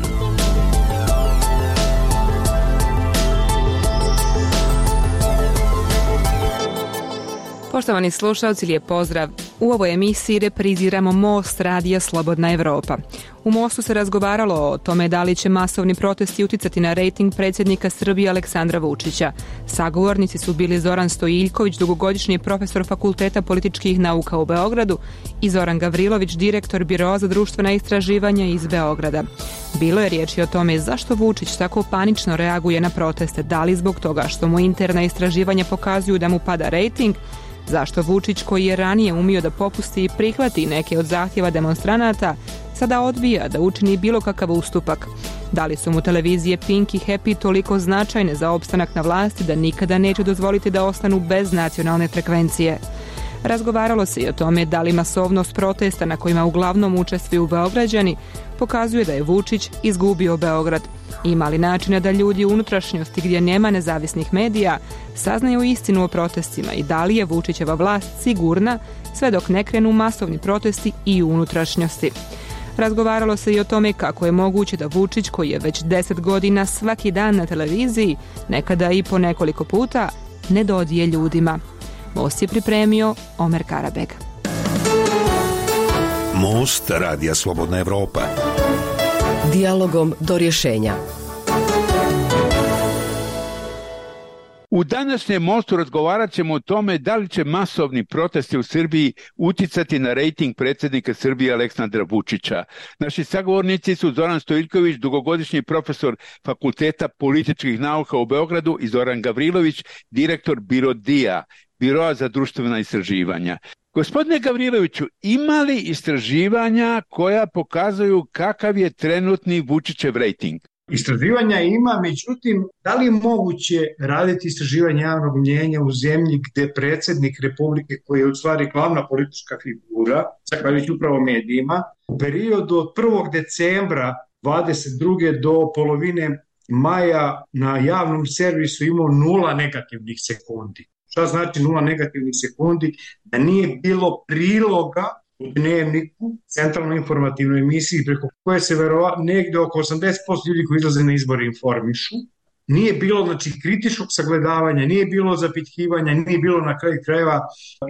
Poštovani slušalci, lijep pozdrav. U ovoj emisiji repriziramo Most Radija Slobodna Evropa. U Mostu se razgovaralo o tome da li će masovni protesti uticati na rejting predsjednika Srbije Aleksandra Vučića. Sagovornici su bili Zoran Stojiljković, dugogodišnji profesor Fakulteta političkih nauka u Beogradu, i Zoran Gavrilović, direktor Biroa za društvena istraživanja iz Beograda. Bilo je riječi o tome zašto Vučić tako panično reaguje na proteste, da li zbog toga što mu interna istraživanja pokazuju da mu pada rejting, zašto Vučić, koji je ranije umio da popusti i prihvati neke od zahtjeva demonstranata, sada odbija da učini bilo kakav ustupak. Da li su mu televizije Pink i Happy toliko značajne za opstanak na vlasti da nikada neće dozvoliti da ostanu bez nacionalne frekvencije? Razgovaralo se i o tome da li masovnost protesta na kojima uglavnom učestvuju Beograđani pokazuje da je Vučić izgubio Beograd. Ima li načina da ljudi u unutrašnjosti gdje nema nezavisnih medija saznaju istinu o protestima i da li je Vučićeva vlast sigurna sve dok ne krenu masovni protesti i u unutrašnjosti? Razgovaralo se i o tome kako je moguće da Vučić, koji je već deset godina svaki dan na televiziji, nekada i po nekoliko puta, ne dodije ljudima. Most je pripremio Omer Karabeg. Most Radija Slobodna Evropa. Dijalogom do rješenja. U današnjem Mostu razgovarat ćemo o tome da li će masovni protesti u Srbiji uticati na rejting predsjednika Srbije Aleksandra Vučića. Naši sagovornici su Zoran Stojiljković, dugogodišnji profesor Fakulteta političkih nauka u Beogradu, i Zoran Gavrilović, direktor Birodija, Biroa za društvena istraživanja. Gospodine Gavriloviću, ima li istraživanja koja pokazuju kakav je trenutni Vučićev rejting? Istraživanja ima, međutim, da li je moguće raditi istraživanje javnog mnjenja u zemlji gde predsjednik Republike, koji je u stvari glavna politička figura, zahvaljujući upravo medijima, u periodu od prvog decembra dvadeset druge do polovine maja na javnom servisu imao nula negativnih sekundi. Šta znači nula negativnih sekundi? Da nije bilo priloga u Dnevniku, centralnoj informativnoj emisiji, preko koje se verovatno negde oko osamdeset posto ljudi koji izlaze na izbore informišu. Nije bilo, znači, kritičkog sagledavanja, nije bilo zapitkivanja, nije bilo na kraju krajeva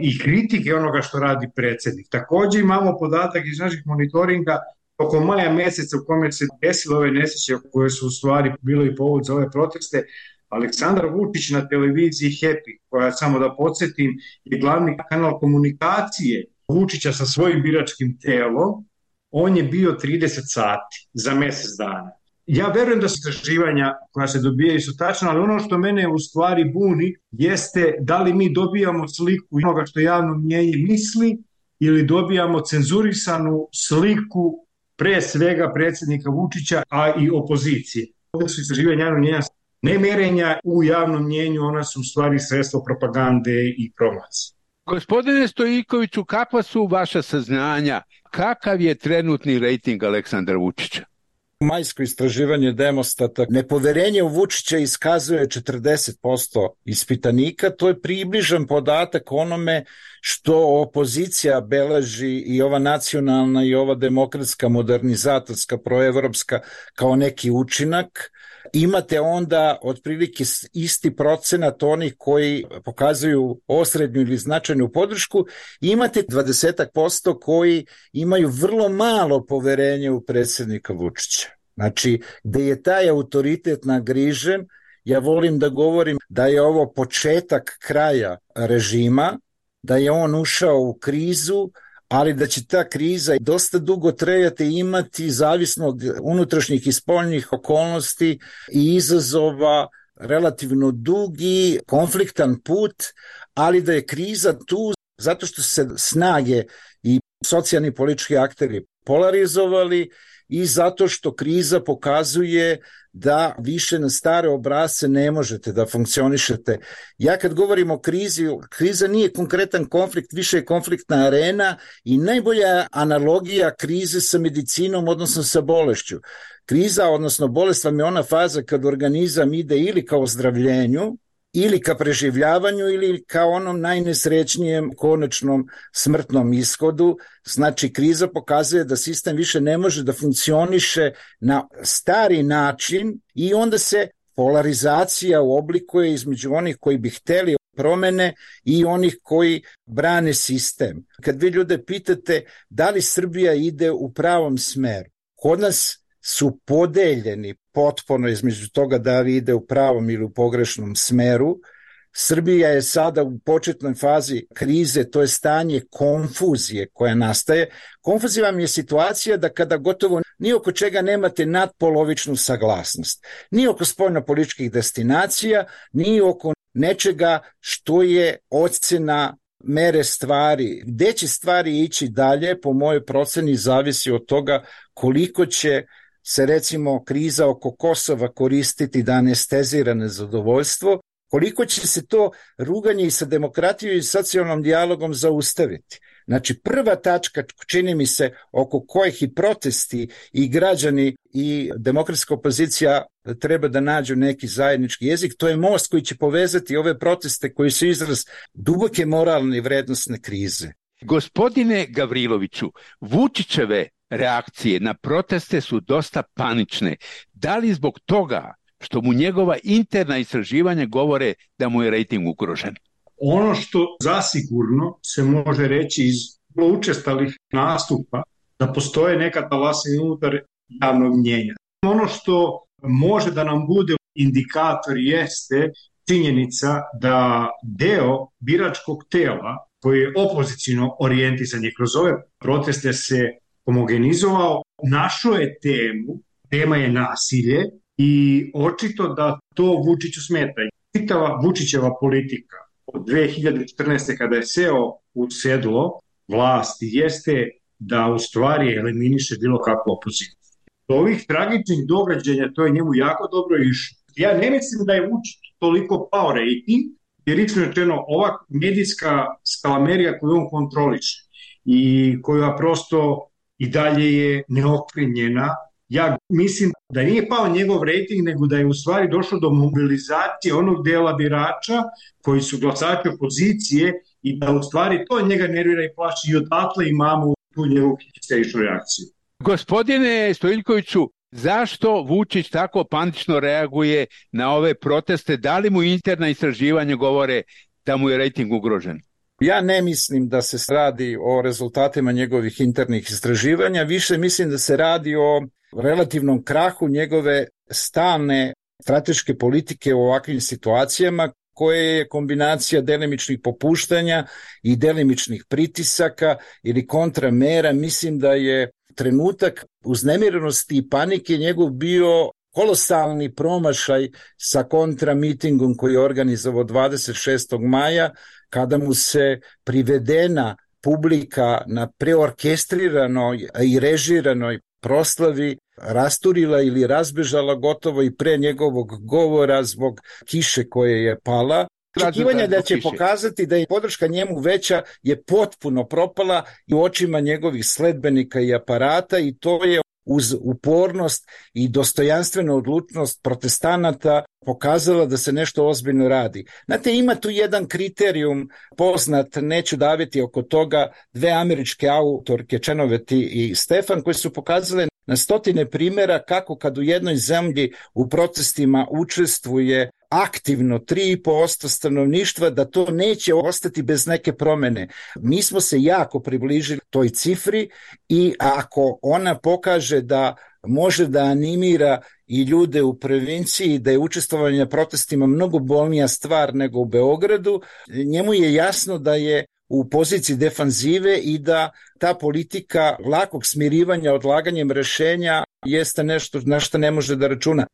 i kritike onoga što radi predsjednik. Također imamo podatak iz naših monitoringa oko maja meseca u kome se desile ove nesreće koje su u stvari bilo i povod za ove proteste. Aleksandar Vučić na televiziji Happy, koja, samo da podsjetim, je glavni kanal komunikacije Vučića sa svojim biračkim telom, on je bio trideset sati za mjesec dana. Ja verujem da su istraživanja koja se dobijaju su tačna, ali ono što mene u stvari buni jeste da li mi dobijamo sliku onoga što javno mnjenje misli ili dobijamo cenzurisanu sliku pre svega predsjednika Vučića, a i opozicije. Ovdje su istraživanja javnog mnjenja ne merenja u javnom mnjenju, ona su u stvari sredstvo propagande i promocije. Gospodine Stojiljkoviću, kakva su vaša saznanja? Kakav je trenutni rejting Aleksandra Vučića? Majsko istraživanje Demostata, nepoverenje u Vučića iskazuje četrdeset posto ispitanika, to je približan podatak onome što opozicija beleži i ova nacionalna i ova demokratska, modernizatorska, proevropska kao neki učinak. Imate onda otprilike isti procenat onih koji pokazuju osrednju ili značajnu podršku, imate dvadeset posto koji imaju vrlo malo poverenje u predsjednika Vučića. Znači, gde je taj autoritet nagrižen, ja volim da govorim da je ovo početak kraja režima, da je on ušao u krizu, ali da će ta kriza dosta dugo trajati i imati, zavisno od unutrašnjih i spoljnih okolnosti i izazova, relativno dugi, konfliktan put, ali da je kriza tu zato što se snage i socijalni politički akteri polarizovali i zato što kriza pokazuje da više na stare obrasce ne možete da funkcionišete. Ja kad govorim o krizi, kriza nije konkretan konflikt, više je konfliktna arena i najbolja analogija krize sa medicinom, odnosno sa bolešću. Kriza, odnosno bolest vam je ona faza kad organizam ide ili ka ozdravljenju, ili ka preživljavanju, ili ka onom najnesrećnijem konačnom smrtnom ishodu. Znači, kriza pokazuje da sistem više ne može da funkcioniše na stari način i onda se polarizacija oblikuje između onih koji bi hteli promene i onih koji brane sistem. Kad vi ljude pitate da li Srbija ide u pravom smeru, kod nas su podeljeni potpuno između toga da li ide u pravom ili u pogrešnom smeru. Srbija je sada u početnoj fazi krize, to je stanje konfuzije koja nastaje. Konfuzija vam je situacija da kada gotovo ni oko čega nemate nadpolovičnu saglasnost. Ni oko spoljnopolitičkih destinacija, ni oko nečega što je ocena mere stvari. Gde će stvari ići dalje, po mojoj proceni, zavisi od toga koliko će se recimo kriza oko Kosova koristiti da anestezira nezadovoljstvo, koliko će se to ruganje i sa demokratijom i socijalnom dijalogom zaustaviti. Znači, prva tačka, čini mi se, oko kojih i protesti i građani i demokratska opozicija treba da nađu neki zajednički jezik, to je most koji će povezati ove proteste koji su izraz duboke moralne i vrednostne krize. Gospodine Gavriloviću, Vučićeve reakcije na proteste su dosta panične. Da li zbog toga što mu njegova interna istraživanja govore da mu je rejting ugrožen? Ono što zasigurno se može reći iz učestalih nastupa da postoje neka talasina unutar javnog mnjenja. Ono što može da nam bude indikator jeste činjenica da deo biračkog tela koji je opoziciono orijentisan je kroz ove proteste se homogenizovao, našao je temu, tema je nasilje i očito da to Vučiću smeta. Čitava Vučićeva politika od dve hiljade četrnaeste. kada je seo u sedlo vlasti jeste da u stvari eliminiše bilo kakvu opoziciju. Do ovih tragičnih događanja to je njemu jako dobro išlo. Ja ne mislim da je Vučić toliko pao rejting, jer lično rečeno ova medijska skalamerija koju on kontroliše i koja prosto i dalje je neokrenjena. Ja mislim da nije pao njegov rejting, nego da je u stvari došlo do mobilizacije onog dela birača koji su glasači opozicije i da u stvari to njega nervira i plaši i odatle imamo tu njegovu histeričnu reakciju. Gospodine Stojiljkoviću, zašto Vučić tako panično reaguje na ove proteste? Da li mu interna istraživanja govore da mu je rejting ugrožen? Ja ne mislim da se radi o rezultatima njegovih internih istraživanja, više mislim da se radi o relativnom krahu njegove stalne strateške politike u ovakvim situacijama, koje je kombinacija delimičnih popuštanja i delimičnih pritisaka ili kontramera. Mislim da je trenutak uznemirenosti i panike njegov bio kolosalni promašaj sa kontramitingom koji je organizovao dvadeset šestog maja, kada mu se privedena publika na preorkestriranoj i režiranoj proslavi rasturila ili razbežala gotovo i pre njegovog govora zbog kiše koje je pala. Očekivanje da će pokazati da je podrška njemu veća je potpuno propala i u očima njegovih sledbenika i aparata i to je uz upornost i dostojanstvenu odlučnost protestanata pokazala da se nešto ozbiljno radi. Znate, ima tu jedan kriterijum poznat, neću daviti oko toga, dve američke autorke, Čenoveti i Stefan, koji su pokazale na stotine primjera kako kad u jednoj zemlji u protestima učestvuje aktivno tri i po posto stanovništva, da to neće ostati bez neke promene. Mi smo se jako približili toj cifri i ako ona pokaže da može da animira i ljude u provinciji, da je učestvovanje na protestima mnogo bolnija stvar nego u Beogradu, njemu je jasno da je u poziciji defanzive i da ta politika lakog smirivanja odlaganjem rešenja jeste nešto na što ne može da računa.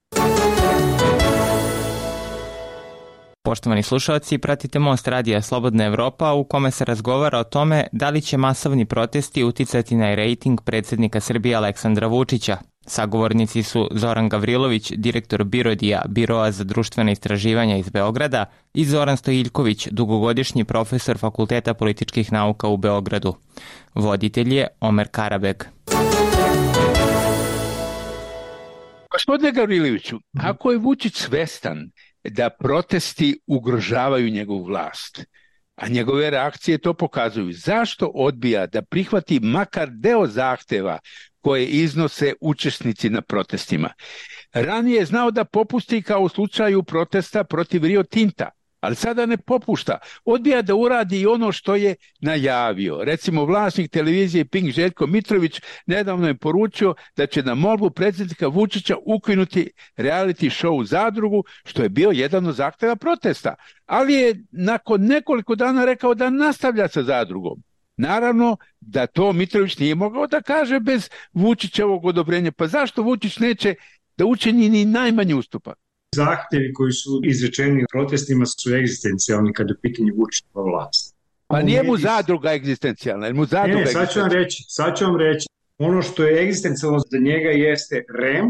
Poštovani slušalci, pratite Most radija Slobodna Evropa u kome se razgovara o tome da li će masovni protesti uticati na rejting predsjednika Srbije Aleksandra Vučića. Sagovornici su Zoran Gavrilović, direktor Birodija, Biroa za društvene istraživanja iz Beograda, i Zoran Stojiljković, dugogodišnji profesor Fakulteta političkih nauka u Beogradu. Voditelj je Omer Karabeg. Gospodine Gavriloviću, ako je Vučić svestan da protesti ugrožavaju njegovu vlast, a njegove reakcije to pokazuju, zašto odbija da prihvati makar deo zahteva koje iznose učesnici na protestima? Ranije je znao da popusti kao u slučaju protesta protiv Rio Tinta, ali sada ne popušta. Odbija da uradi i ono što je najavio. Recimo, vlasnik televizije Pink Željko Mitrović nedavno je poručio da će na molbu predsjednika Vučića ukinuti reality show Zadrugu, što je bio jedan od zahteva protesta. Ali je nakon nekoliko dana rekao da nastavlja sa Zadrugom. Naravno da to Mitrović nije mogao da kaže bez Vučićevog odobrenja. Pa zašto Vučić neće da učini ni najmanji ustupak? Zahtevi koji su izrečeni u protestima su egzistencijalni kada je u pitanju Vučićeva vlast. Pa nije mu Zadruga egzistencijalna, jer mu Zadruga ne, ne, sad ću vam reći, sad ću vam reći. Ono što je egzistencijalno za njega jeste R E M,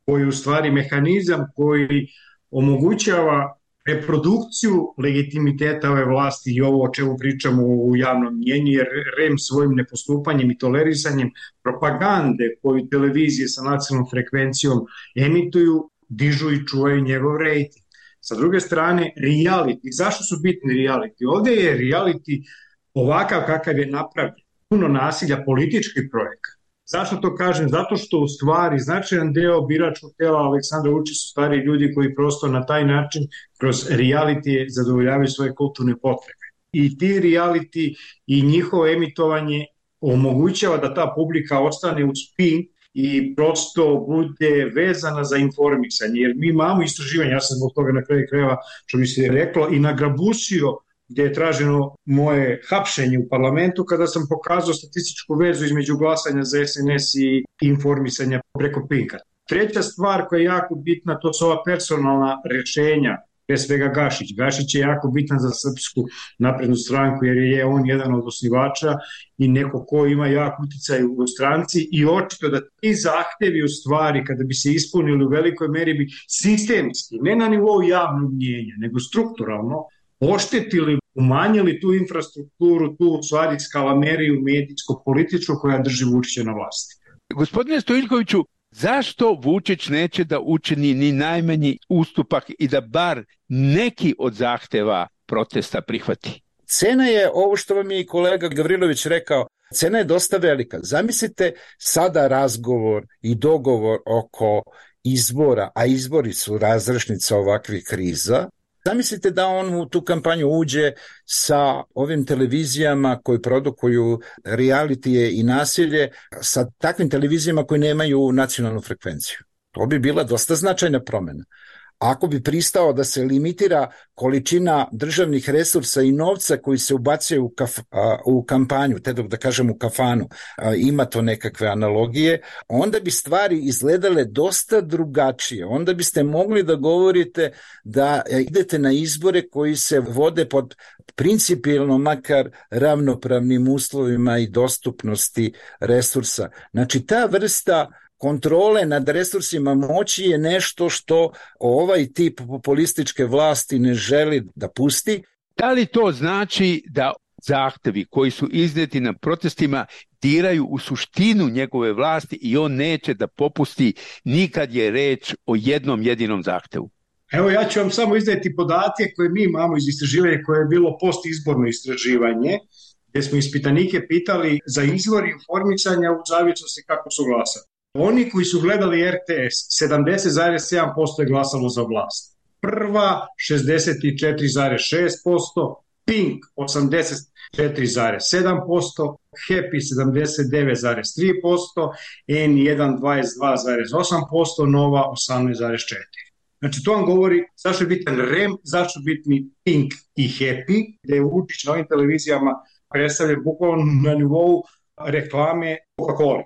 koji je u stvari mehanizam koji omogućava reprodukciju legitimiteta ove vlasti i ovo o čemu pričamo u javnom mnjenju, jer R E M svojim nepostupanjem i tolerisanjem propagande koju televizije sa nacionalnom frekvencijom emituju, dižu i čuvaju njegov rejting. Sa druge strane, reality. Zašto su bitni reality? Ovdje je reality ovakav kakav je napravljen. Puno nasilja, politički projekat. Zašto to kažem? Zato što u stvari značajan deo biračkog tela Aleksandra Vučića su stari ljudi koji prosto na taj način kroz reality zadovoljavaju svoje kulturne potrebe. I ti reality i njihovo emitovanje omogućava da ta publika ostane u spin i prosto bude vezana za informisanje, jer mi imamo istraživanje, ja sam zbog toga na kraju krajeva, što bi se reklo, i nagrabusio gdje je traženo moje hapšenje u parlamentu kada sam pokazao statističku vezu između glasanja za S N S i informisanja preko Pinka. Treća stvar koja je jako bitna, to su ova personalna rešenja, pre svega Gašić. Gašić je jako bitan za Srpsku naprednu stranku jer je on jedan od osnivača i neko ko ima jak uticaj u stranci i očito da ti zahtevi u stvari kada bi se ispunili u velikoj meri bi sistemski, ne na nivou javnog mnjenja, nego strukturalno oštetili, umanjili tu infrastrukturu, tu u stvari skalameriju medijsko-političku koja drži Vučića na vlasti. Gospodine Stojiljkoviću, zašto Vučić neće da učini ni najmanji ustupak i da bar neki od zahteva protesta prihvati? Cena je, ovo što vam je i kolega Gavrilović rekao, cena je dosta velika. Zamislite sada razgovor i dogovor oko izbora, a izbori su razrešnica ovakvih kriza. Zamislite da on u tu kampanju uđe sa ovim televizijama koji produkuju realitije i nasilje, sa takvim televizijama koji nemaju nacionalnu frekvenciju. To bi bila dosta značajna promjena. Ako bi pristao da se limitira količina državnih resursa i novca koji se ubacuje u, kaf, a, u kampanju, te dok da kažem u kafanu, a, ima to nekakve analogije, onda bi stvari izgledale dosta drugačije. Onda biste mogli da govorite da idete na izbore koji se vode pod principijelno makar ravnopravnim uslovima i dostupnosti resursa. Znači ta vrsta kontrole nad resursima moći je nešto što ovaj tip populističke vlasti ne želi da pusti. Da li to znači da zahtevi koji su izneti na protestima diraju u suštinu njegove vlasti i on neće da popusti nikad je reč o jednom jedinom zahtevu. Evo ja ću vam samo izneti podatke koje mi imamo iz istraživanja koje je bilo postizborno istraživanje, gdje smo ispitanike pitali za izvor informisanja u zavisnosti kako su glasali. Oni koji su gledali R T S, sedamdeset zarez sedam posto je glasalo za vlast. Prva, šezdeset četiri zarez šest posto, Pink, osamdeset četiri zarez sedam posto, Happy, sedamdeset devet zarez tri posto, N jedan, dvadeset dva zarez osam posto, Nova, osamnaest zarez četiri posto. Znači, to vam govori zašto je bitan R E M, zašto je bitni Pink i Happy, gde je Vučić na ovim televizijama predstavlja bukvalno na nivou reklame Coca-Cola.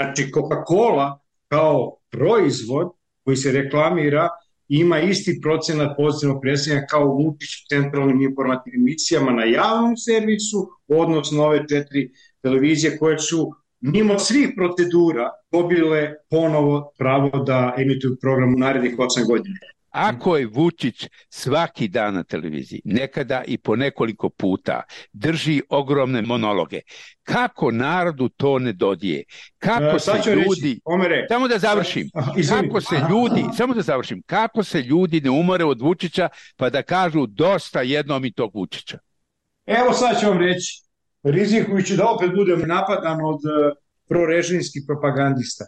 Znači, Coca-Cola kao proizvod koji se reklamira ima isti procenat pozitivnog predstavljanja kao Vučić u centralnim informativnim emisijama na javnom servisu, odnosno ove četiri televizije koje su mimo svih procedura dobile ponovo pravo da emituju program u narednih osam godina. Ako je Vučić svaki dan na televiziji, nekada i po nekoliko puta, drži ogromne monologe, kako narodu to ne dodije? Kako se ljudi... Samo da završim. Kako se ljudi... Samo da završim. Kako se ljudi ne umore od Vučića pa da kažu dosta jednom i tog Vučića? Evo sad ću vam reći, rizikujući da opet budem napadan od prorežimskih propagandista.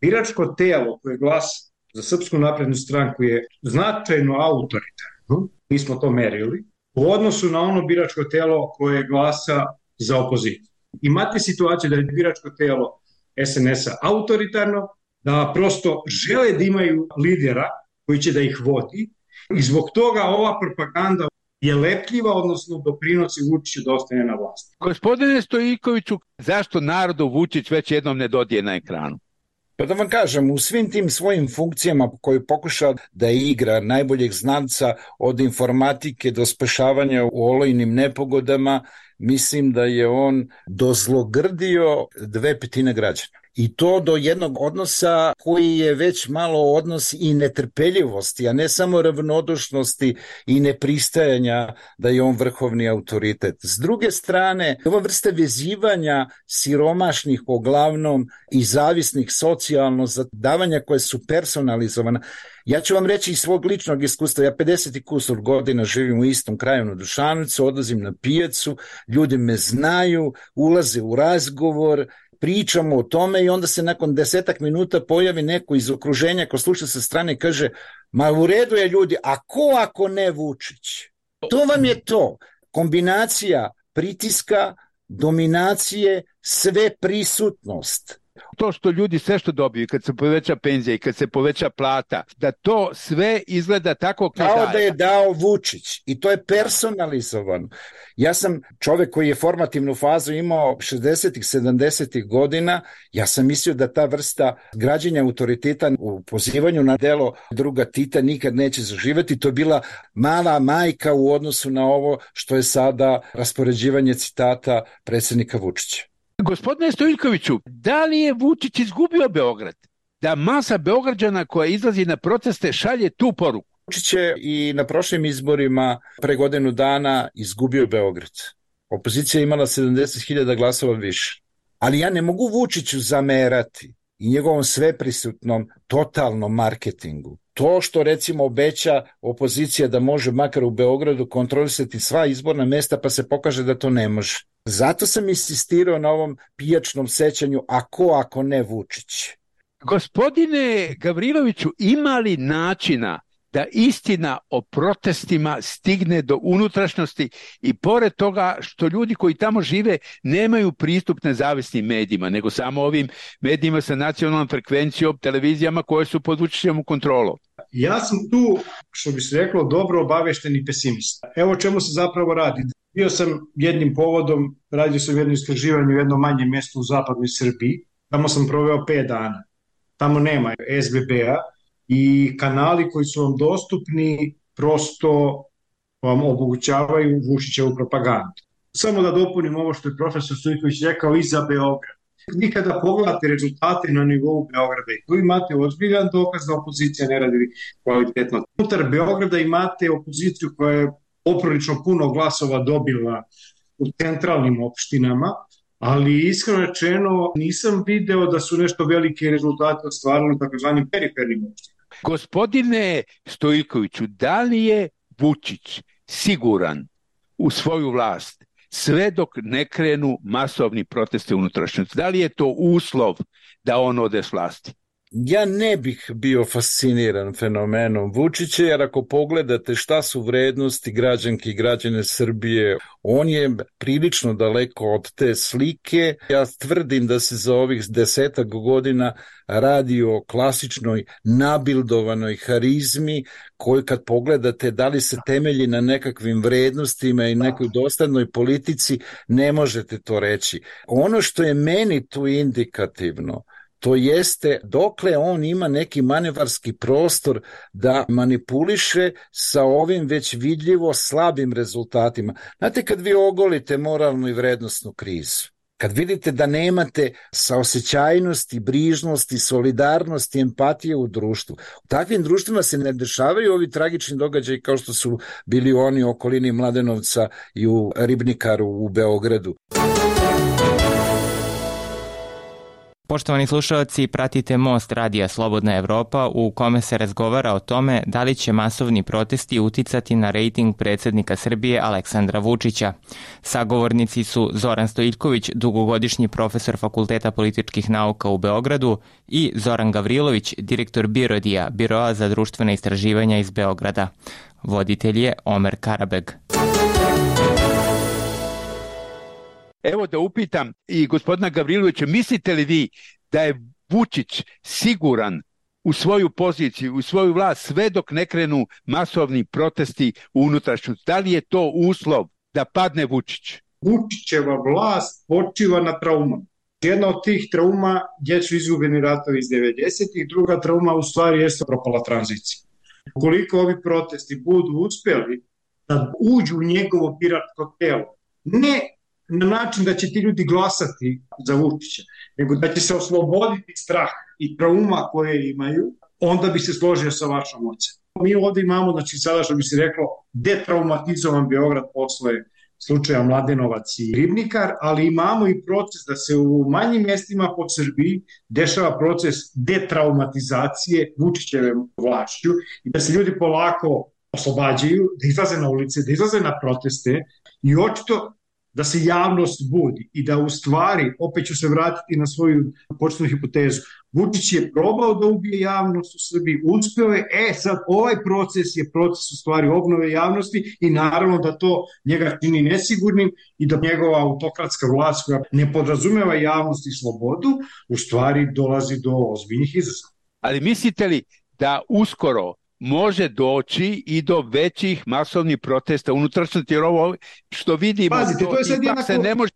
Biračko telo koje glasa za Srpsku naprednu stranku je značajno autoritarno, mi smo to merili, u odnosu na ono biračko telo koje glasa za opoziciju. Imate situaciju da je biračko telo S N S-a autoritarno, da prosto žele da imaju lidera koji će da ih vodi i zbog toga ova propaganda je lepljiva, odnosno doprinosi Vučiću da ostane na vlasti. Gospodine Stojikoviću, zašto narodu Vučić već jednom ne dodije na ekranu? Pa da vam kažem, u svim tim svojim funkcijama koji pokuša da igra najboljeg znanca od informatike do spašavanja u olojnim nepogodama, mislim da je on dozlogrdio dve petine građana. I to do jednog odnosa koji je već malo odnos i netrpeljivosti, a ne samo ravnodušnosti i nepristajanja da je on vrhovni autoritet. S druge strane, ova vrsta vezivanja siromašnih uglavnom i zavisnih socijalno za davanja koje su personalizovana. Ja ću vam reći iz svog ličnog iskustva, ja pedeset i kusur godina živim u istom kraju na Dušanovcu, odlazim na pijacu, ljudi me znaju, ulaze u razgovor, pričamo o tome i onda se nakon desetak minuta pojavi neko iz okruženja ko sluša sa strane i kaže, ma u redu je ljudi, a ko ako ne Vučić? To vam je to, kombinacija pritiska, dominacije, sve prisutnost. To što ljudi sve što dobiju, kad se poveća penzija i kad se poveća plata, da to sve izgleda tako kao da je dao Vučić i to je personalizovano. Ja sam čovjek koji je formativnu fazu imao šezdesetih, sedamdesetih godina, ja sam mislio da ta vrsta građenja autoriteta u pozivanju na delo druga Tita nikad neće zaživjeti. To je bila mala majka u odnosu na ovo što je sada raspoređivanje citata predsjednika Vučića. Gospodine Stojikoviću, da li je Vučić izgubio Beograd? Da masa Beograđana koja izlazi na proteste šalje tu poruku? Vučić je i na prošlim izborima pre godinu dana izgubio Beograd. Opozicija je imala sedamdeset hiljada glasova više. Ali ja ne mogu Vučiću zamerati i njegovom sveprisutnom totalnom marketingu. To što recimo obeća opozicija da može makar u Beogradu kontrolisati sva izborna mesta pa se pokaže da to ne može. Zato sam insistirao na ovom pijačnom sećanju, a ko ako ne Vučić? Gospodine Gavriloviću, ima li načina da istina o protestima stigne do unutrašnjosti i pored toga što ljudi koji tamo žive nemaju pristup nezavisnim medijima, nego samo ovim medijima sa nacionalnom frekvencijom, televizijama koje su pod Vučićevom kontrolom? Ja sam tu, što bi se reklo, dobro obavešteni pesimista. Evo o čemu se zapravo radi. Bio sam jednim povodom, radio sam jedno istraživanje u jednom manjem mjestu u zapadnoj Srbiji. Tamo sam proveo pet dana. Tamo nema S B B-a i kanali koji su vam dostupni prosto vam omogućavaju Vučićevu propagandu. Samo da dopunim ovo što je profesor Stojiković rekao i za Beograd. Vi kada pogledate rezultate na nivou Beograda i tu imate ozbiljan dokaz da opozicija ne radi kvalitetno. Unutar Beograda imate opoziciju koja je poprilično puno glasova dobila u centralnim opštinama, ali iskreno rečeno nisam video da su nešto velike rezultate ostvarili u takozvanim perifernim opštinama. Gospodine Stojiljkoviću, da li je Vučić siguran u svoju vlast sve dok ne krenu masovni protesti unutrašnjosti? Da li je to uslov da on ode s vlasti? Ja ne bih bio fasciniran fenomenom Vučića, jer ako pogledate šta su vrednosti građanki i građane Srbije, on je prilično daleko od te slike. Ja tvrdim da se za ovih desetak godina radi o klasičnoj nabildovanoj harizmi koju kad pogledate da li se temelji na nekakvim vrednostima i nekoj dostatnoj politici, ne možete to reći. Ono što je meni tu indikativno, to jeste dokle on ima neki manevarski prostor da manipuliše sa ovim već vidljivo slabim rezultatima. Znate, kad vi ogolite moralnu i vrednostnu krizu, kad vidite da nemate saosećajnosti, brižnosti, solidarnosti, empatije u društvu, u takvim društvima se ne dešavaju ovi tragični događaji kao što su bili oni u okolini Mladenovca i u Ribnikaru u Beogradu. Poštovani slušalci, pratite Most radija Slobodna Evropa u kome se razgovara o tome da li će masovni protesti uticati na rejting predsjednika Srbije Aleksandra Vučića. Sagovornici su Zoran Stojiljković, dugogodišnji profesor Fakulteta političkih nauka u Beogradu, i Zoran Gavrilović, direktor Birodija, Biroa za društvena istraživanja iz Beograda. Voditelj je Omer Karabeg. Evo da upitam i gospodina Gavrilovića, mislite li vi da je Vučić siguran u svoju poziciju, u svoju vlast sve dok ne krenu masovni protesti u unutrašnjosti? Da li je to uslov da padne Vučić? Vučićeva vlast počiva na traumama. Jedna od tih trauma jesu izgubljeni ratovi iz devedesetih, druga trauma u stvari jeste propala tranzicija. Ukoliko ovi protesti budu uspjeli da uđu u njegovo biračko telo, ne na način da će ti ljudi glasati za Vučića, nego da će se osloboditi strah i trauma koje imaju, onda bi se složio sa vašom ocenom. Mi ovdje imamo, znači sada što bi se reklo, detraumatizovan Beograd posle slučaja Mladenovac i Ribnikar, ali imamo i proces da se u manjim mjestima po Srbiji dešava proces detraumatizacije Vučićeve vlašću i da se ljudi polako oslobađaju, da izlaze na ulice, da izlaze na proteste i očito da se javnost budi i da u stvari, opet ću se vratiti na svoju početnu hipotezu, Vučić je probao da ubije javnost u Srbiji, uspeo je, e sad ovaj proces je proces u stvari obnove javnosti i naravno da to njega čini nesigurnim i da njegova autokratska vlast koja ne podrazumeva javnost i slobodu, u stvari dolazi do ozbiljnih izazova. Ali mislite li da uskoro može doći i do većih masovnih protesta unutrašnjosti, jer ovo što vidimo, Pazite, to je sad jednako... se ne, može,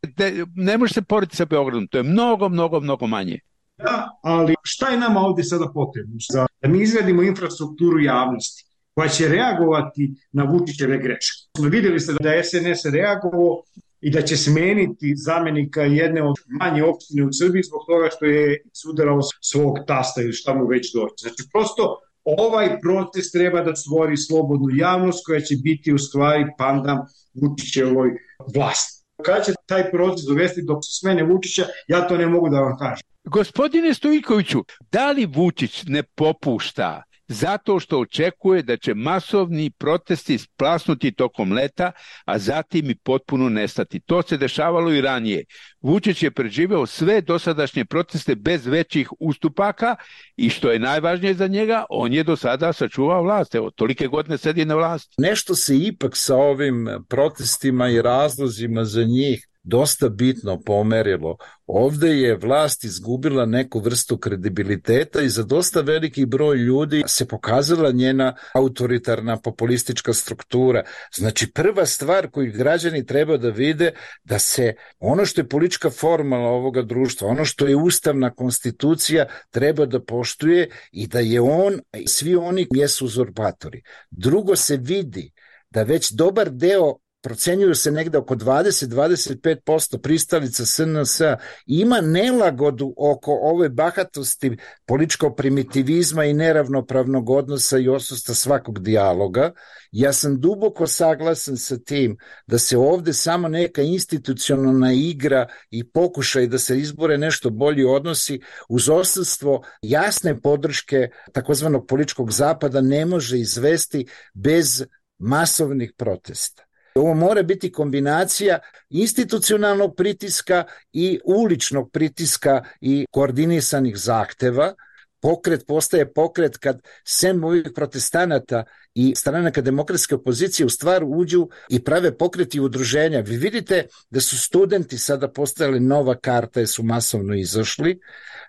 ne može se porediti sa Beogradom, to je mnogo, mnogo, mnogo manje. Da, ali šta je nama ovdje sada potrebno? Da mi izvedimo infrastrukturu javnosti koja će reagovati na Vučićeve greške. Vidjeli ste da je S N S reagovao i da će smeniti zamenika jedne od manje opštine u Srbiji zbog toga što je sudarao svog tasta ili šta mu već doći. Znači, prosto ovaj proces treba da stvori slobodnu javnost koja će biti u stvari pandam Vučićevoj vlasti. Kada će taj proces dovesti do smene Vučića, ja to ne mogu da vam kažem. Gospodine Stojiljkoviću, da li Vučić ne popušta zato što očekuje da će masovni protesti splasnuti tokom leta, a zatim i potpuno nestati? To se dešavalo i ranije. Vučić je preživeo sve dosadašnje proteste bez većih ustupaka i što je najvažnije za njega, on je do sada sačuvao vlast. Evo, tolike godine sedi na vlasti. Nešto se ipak sa ovim protestima i razlozima za njih dosta bitno pomerilo. Ovde je vlast izgubila neku vrstu kredibiliteta i za dosta veliki broj ljudi se pokazala njena autoritarna populistička struktura. Znači, prva stvar koju građani treba da vide da se ono što je politička formula ovoga društva, ono što je ustavna konstitucija treba da poštuje i da je on, svi oni jesu uzurpatori. Drugo se vidi da već dobar deo procenjuju se negde oko dvadeset do dvadeset pet posto pristalica S N S-a, ima nelagodu oko ove bahatosti političkog primitivizma i neravnopravnog odnosa i odsustva svakog dijaloga. Ja sam duboko saglasan sa tim da se ovde samo neka institucionalna igra i pokušaj da se izbore nešto bolji odnosi uz odsustvo jasne podrške takozvanog političkog zapada ne može izvesti bez masovnih protesta. Ovo mora biti kombinacija institucionalnog pritiska i uličnog pritiska i koordinisanih zahteva. Pokret postaje pokret kad sem ovih protestanata i stranaka demokratske opozicije u stvar uđu i prave pokreti udruženja. Vi vidite da su studenti sada postajali nova karta jer su masovno izašli,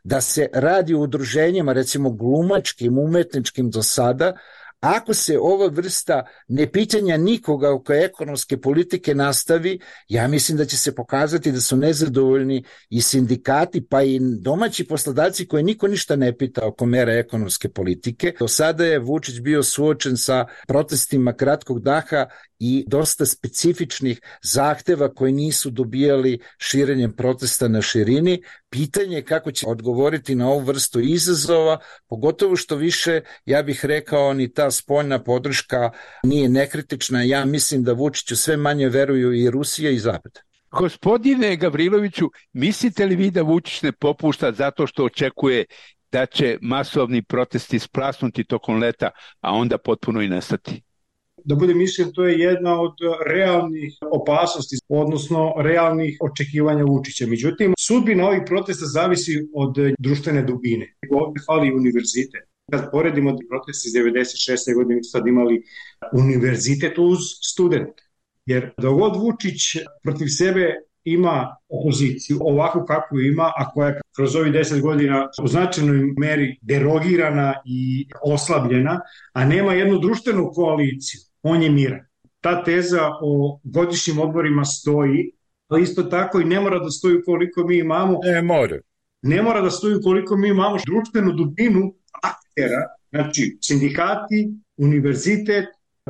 da se radi o udruženjima, recimo glumačkim, umetničkim do sada. Ako se ova vrsta nepitanja nikoga oko ekonomske politike nastavi, ja mislim da će se pokazati da su nezadovoljni i sindikati, pa i domaći poslodavci koji niko ništa ne pita oko mera ekonomske politike. Do sada je Vučić bio suočen sa protestima kratkog daha i dosta specifičnih zahteva koji nisu dobijali širenjem protesta na širini. Pitanje je kako će odgovoriti na ovu vrstu izazova, pogotovo što više, ja bih rekao, ni ta spoljna podrška nije nekritična. Ja mislim da Vučiću sve manje veruju i Rusija i Zapad. Gospodine Gavriloviću, mislite li vi da Vučić ne popušta zato što očekuje da će masovni protesti splasnuti tokom leta, a onda potpuno i nestati? Da budem iskren, to je jedna od realnih opasnosti, odnosno realnih očekivanja Vučića. Međutim, sudbina ovih protesta zavisi od društvene dubine. Ovdje fali univerzitet. Kad poredimo proteste iz devedeset šeste godine, mi sad imali univerzitet uz studente. Jer dogod Vučić protiv sebe ima opoziciju, ovakvu kakvu ima, a koja je kroz ovih deset godina u značajnoj meri derogirana i oslabljena, a nema jednu društvenu koaliciju, on je miran. Ta teza o godišnjim odborima stoji, ali isto tako i ne mora da stoji koliko mi imamo. Ne mora. Ne mora da stoji koliko mi imamo društvenu dubinu aktera, znači sindikati, univerzitet,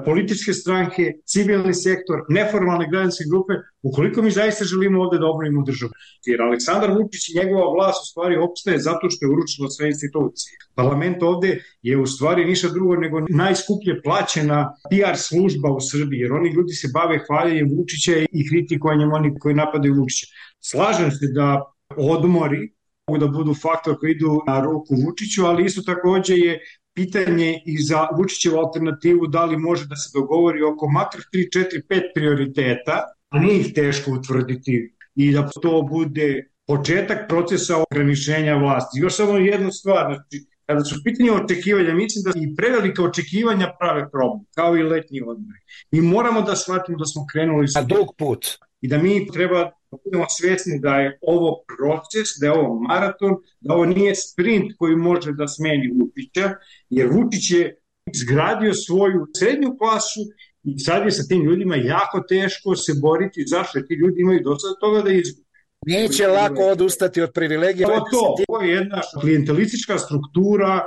političke stranke, civilni sektor, neformalne građanske grupe, ukoliko mi zaista želimo ovde da obnovimo državu. Jer Aleksandar Vučić i njegova vlast u stvari opstaje zato što je uručilo sve institucije. Parlament ovde je u stvari ništa drugo nego najskuplje plaćena P R služba u Srbiji, jer oni ljudi se bave hvaljenjem Vučića i kritikovanjem oni koji napadaju Vučića. Slažem se da odmori mogu da budu faktor koji idu na ruku Vučiću, ali isto takođe je pitanje i za Vučićevu alternativu da li može da se dogovori oko makar tri, četiri, pet prioriteta, a nije ih teško utvrditi i da to bude početak procesa ograničenja vlasti. Još samo jednu stvar, znači, kada su pitanje očekivanja, mislim da i prevelika očekivanja prave problem, kao i letnji odmori. I moramo da shvatimo da smo krenuli sa dug put i da mi treba budemo svjesni da je ovo proces, da je ovo maraton, da ovo nije sprint koji može da smeni Vučića, jer Vučić je izgradio svoju srednju klasu i sad je sa tim ljudima jako teško se boriti, zašto ti ljudi imaju dosta toga da izgubi. Neće lako odustati od privilegija. To, to, to je jedna klijentelistička struktura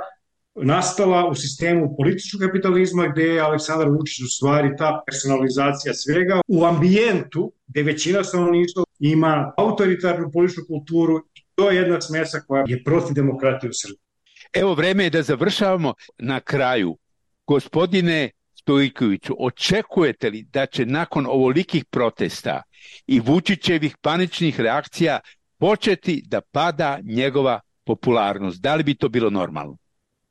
nastala u sistemu političkog kapitalizma gde je Aleksandar Vučić u stvari ta personalizacija svega u ambijentu gde većina stanovništva ima autoritarnu političku kulturu i to je jedna smesa koja je protiv demokratije u Srbiji. Evo, vreme je da završavamo. Na kraju, gospodine Stojkoviću, očekujete li da će nakon ovolikih protesta i Vučićevih paničnih reakcija početi da pada njegova popularnost? Da li bi to bilo normalno?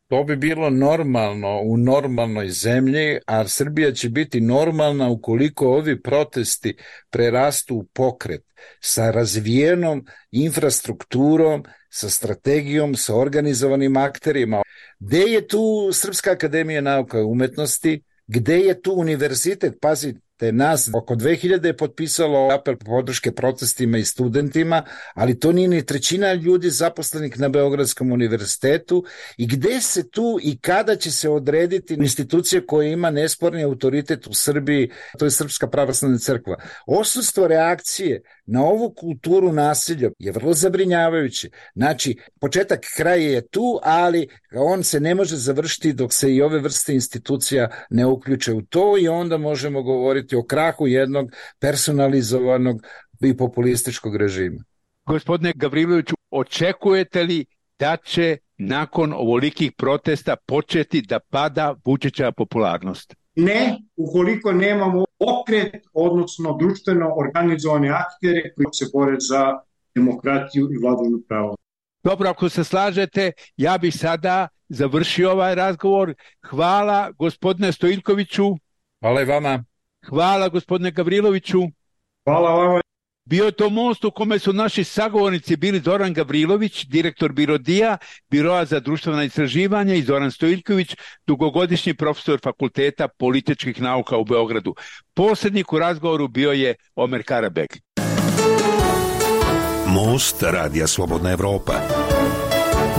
To bi bilo normalno u normalnoj zemlji, a Srbija će biti normalna ukoliko ovi protesti prerastu u pokret sa razvijenom infrastrukturom, sa strategijom, sa organizovanim akterima. Gde je tu Srpska akademija nauka i umetnosti? Gde je tu univerzitet? Pazite, nas oko dve hiljade je potpisalo apel podrške protestima i studentima, ali to nije ni trećina ljudi zaposlenih na Beogradskom univerzitetu. I gde se tu i kada će se odrediti institucija koja ima nesporni autoritet u Srbiji, to je Srpska pravoslavna crkva. Odsustvo reakcije na ovu kulturu nasilja je vrlo zabrinjavajuće. Znači, početak kraja je tu, ali on se ne može završiti dok se i ove vrste institucija ne uključe u to i onda možemo govoriti o krahu jednog personalizovanog i populističkog režima. Gospodine Gavriloviću, očekujete li da će nakon ovolikih protesta početi da pada Vučićeva popularnost? Ne, ukoliko nemamo pokret, odnosno društveno organizovane aktere koji se bore za demokratiju i vladavinu prava. Dobro, ako se slažete, ja bih sada završio ovaj razgovor. Hvala gospodine Stojiljkoviću. Hvala i vama. Hvala gospodine Gavriloviću. Hvala vama. Bio je to most u kome su naši sagovornici bili Zoran Gavrilović, direktor Birodija, Biroa za društvena istraživanja, i Zoran Stojiljković, dugogodišnji profesor Fakulteta političkih nauka u Beogradu. Posrednik u razgovoru bio je Omer Karabeg. Most Radija Slobodna Evropa.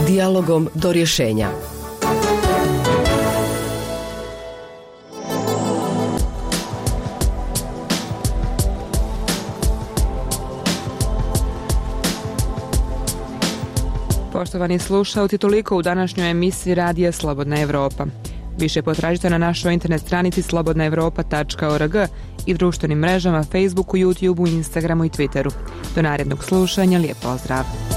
Dijalogom do rješenja. Poštovani slušalci, toliko u današnjoj emisiji Radija Slobodna Evropa. Više potražite na našoj internet stranici slobodna evropa tačka org i društvenim mrežama Facebooku, YouTubeu, Instagramu i Twitteru. Do narednog slušanja, lijep pozdrav!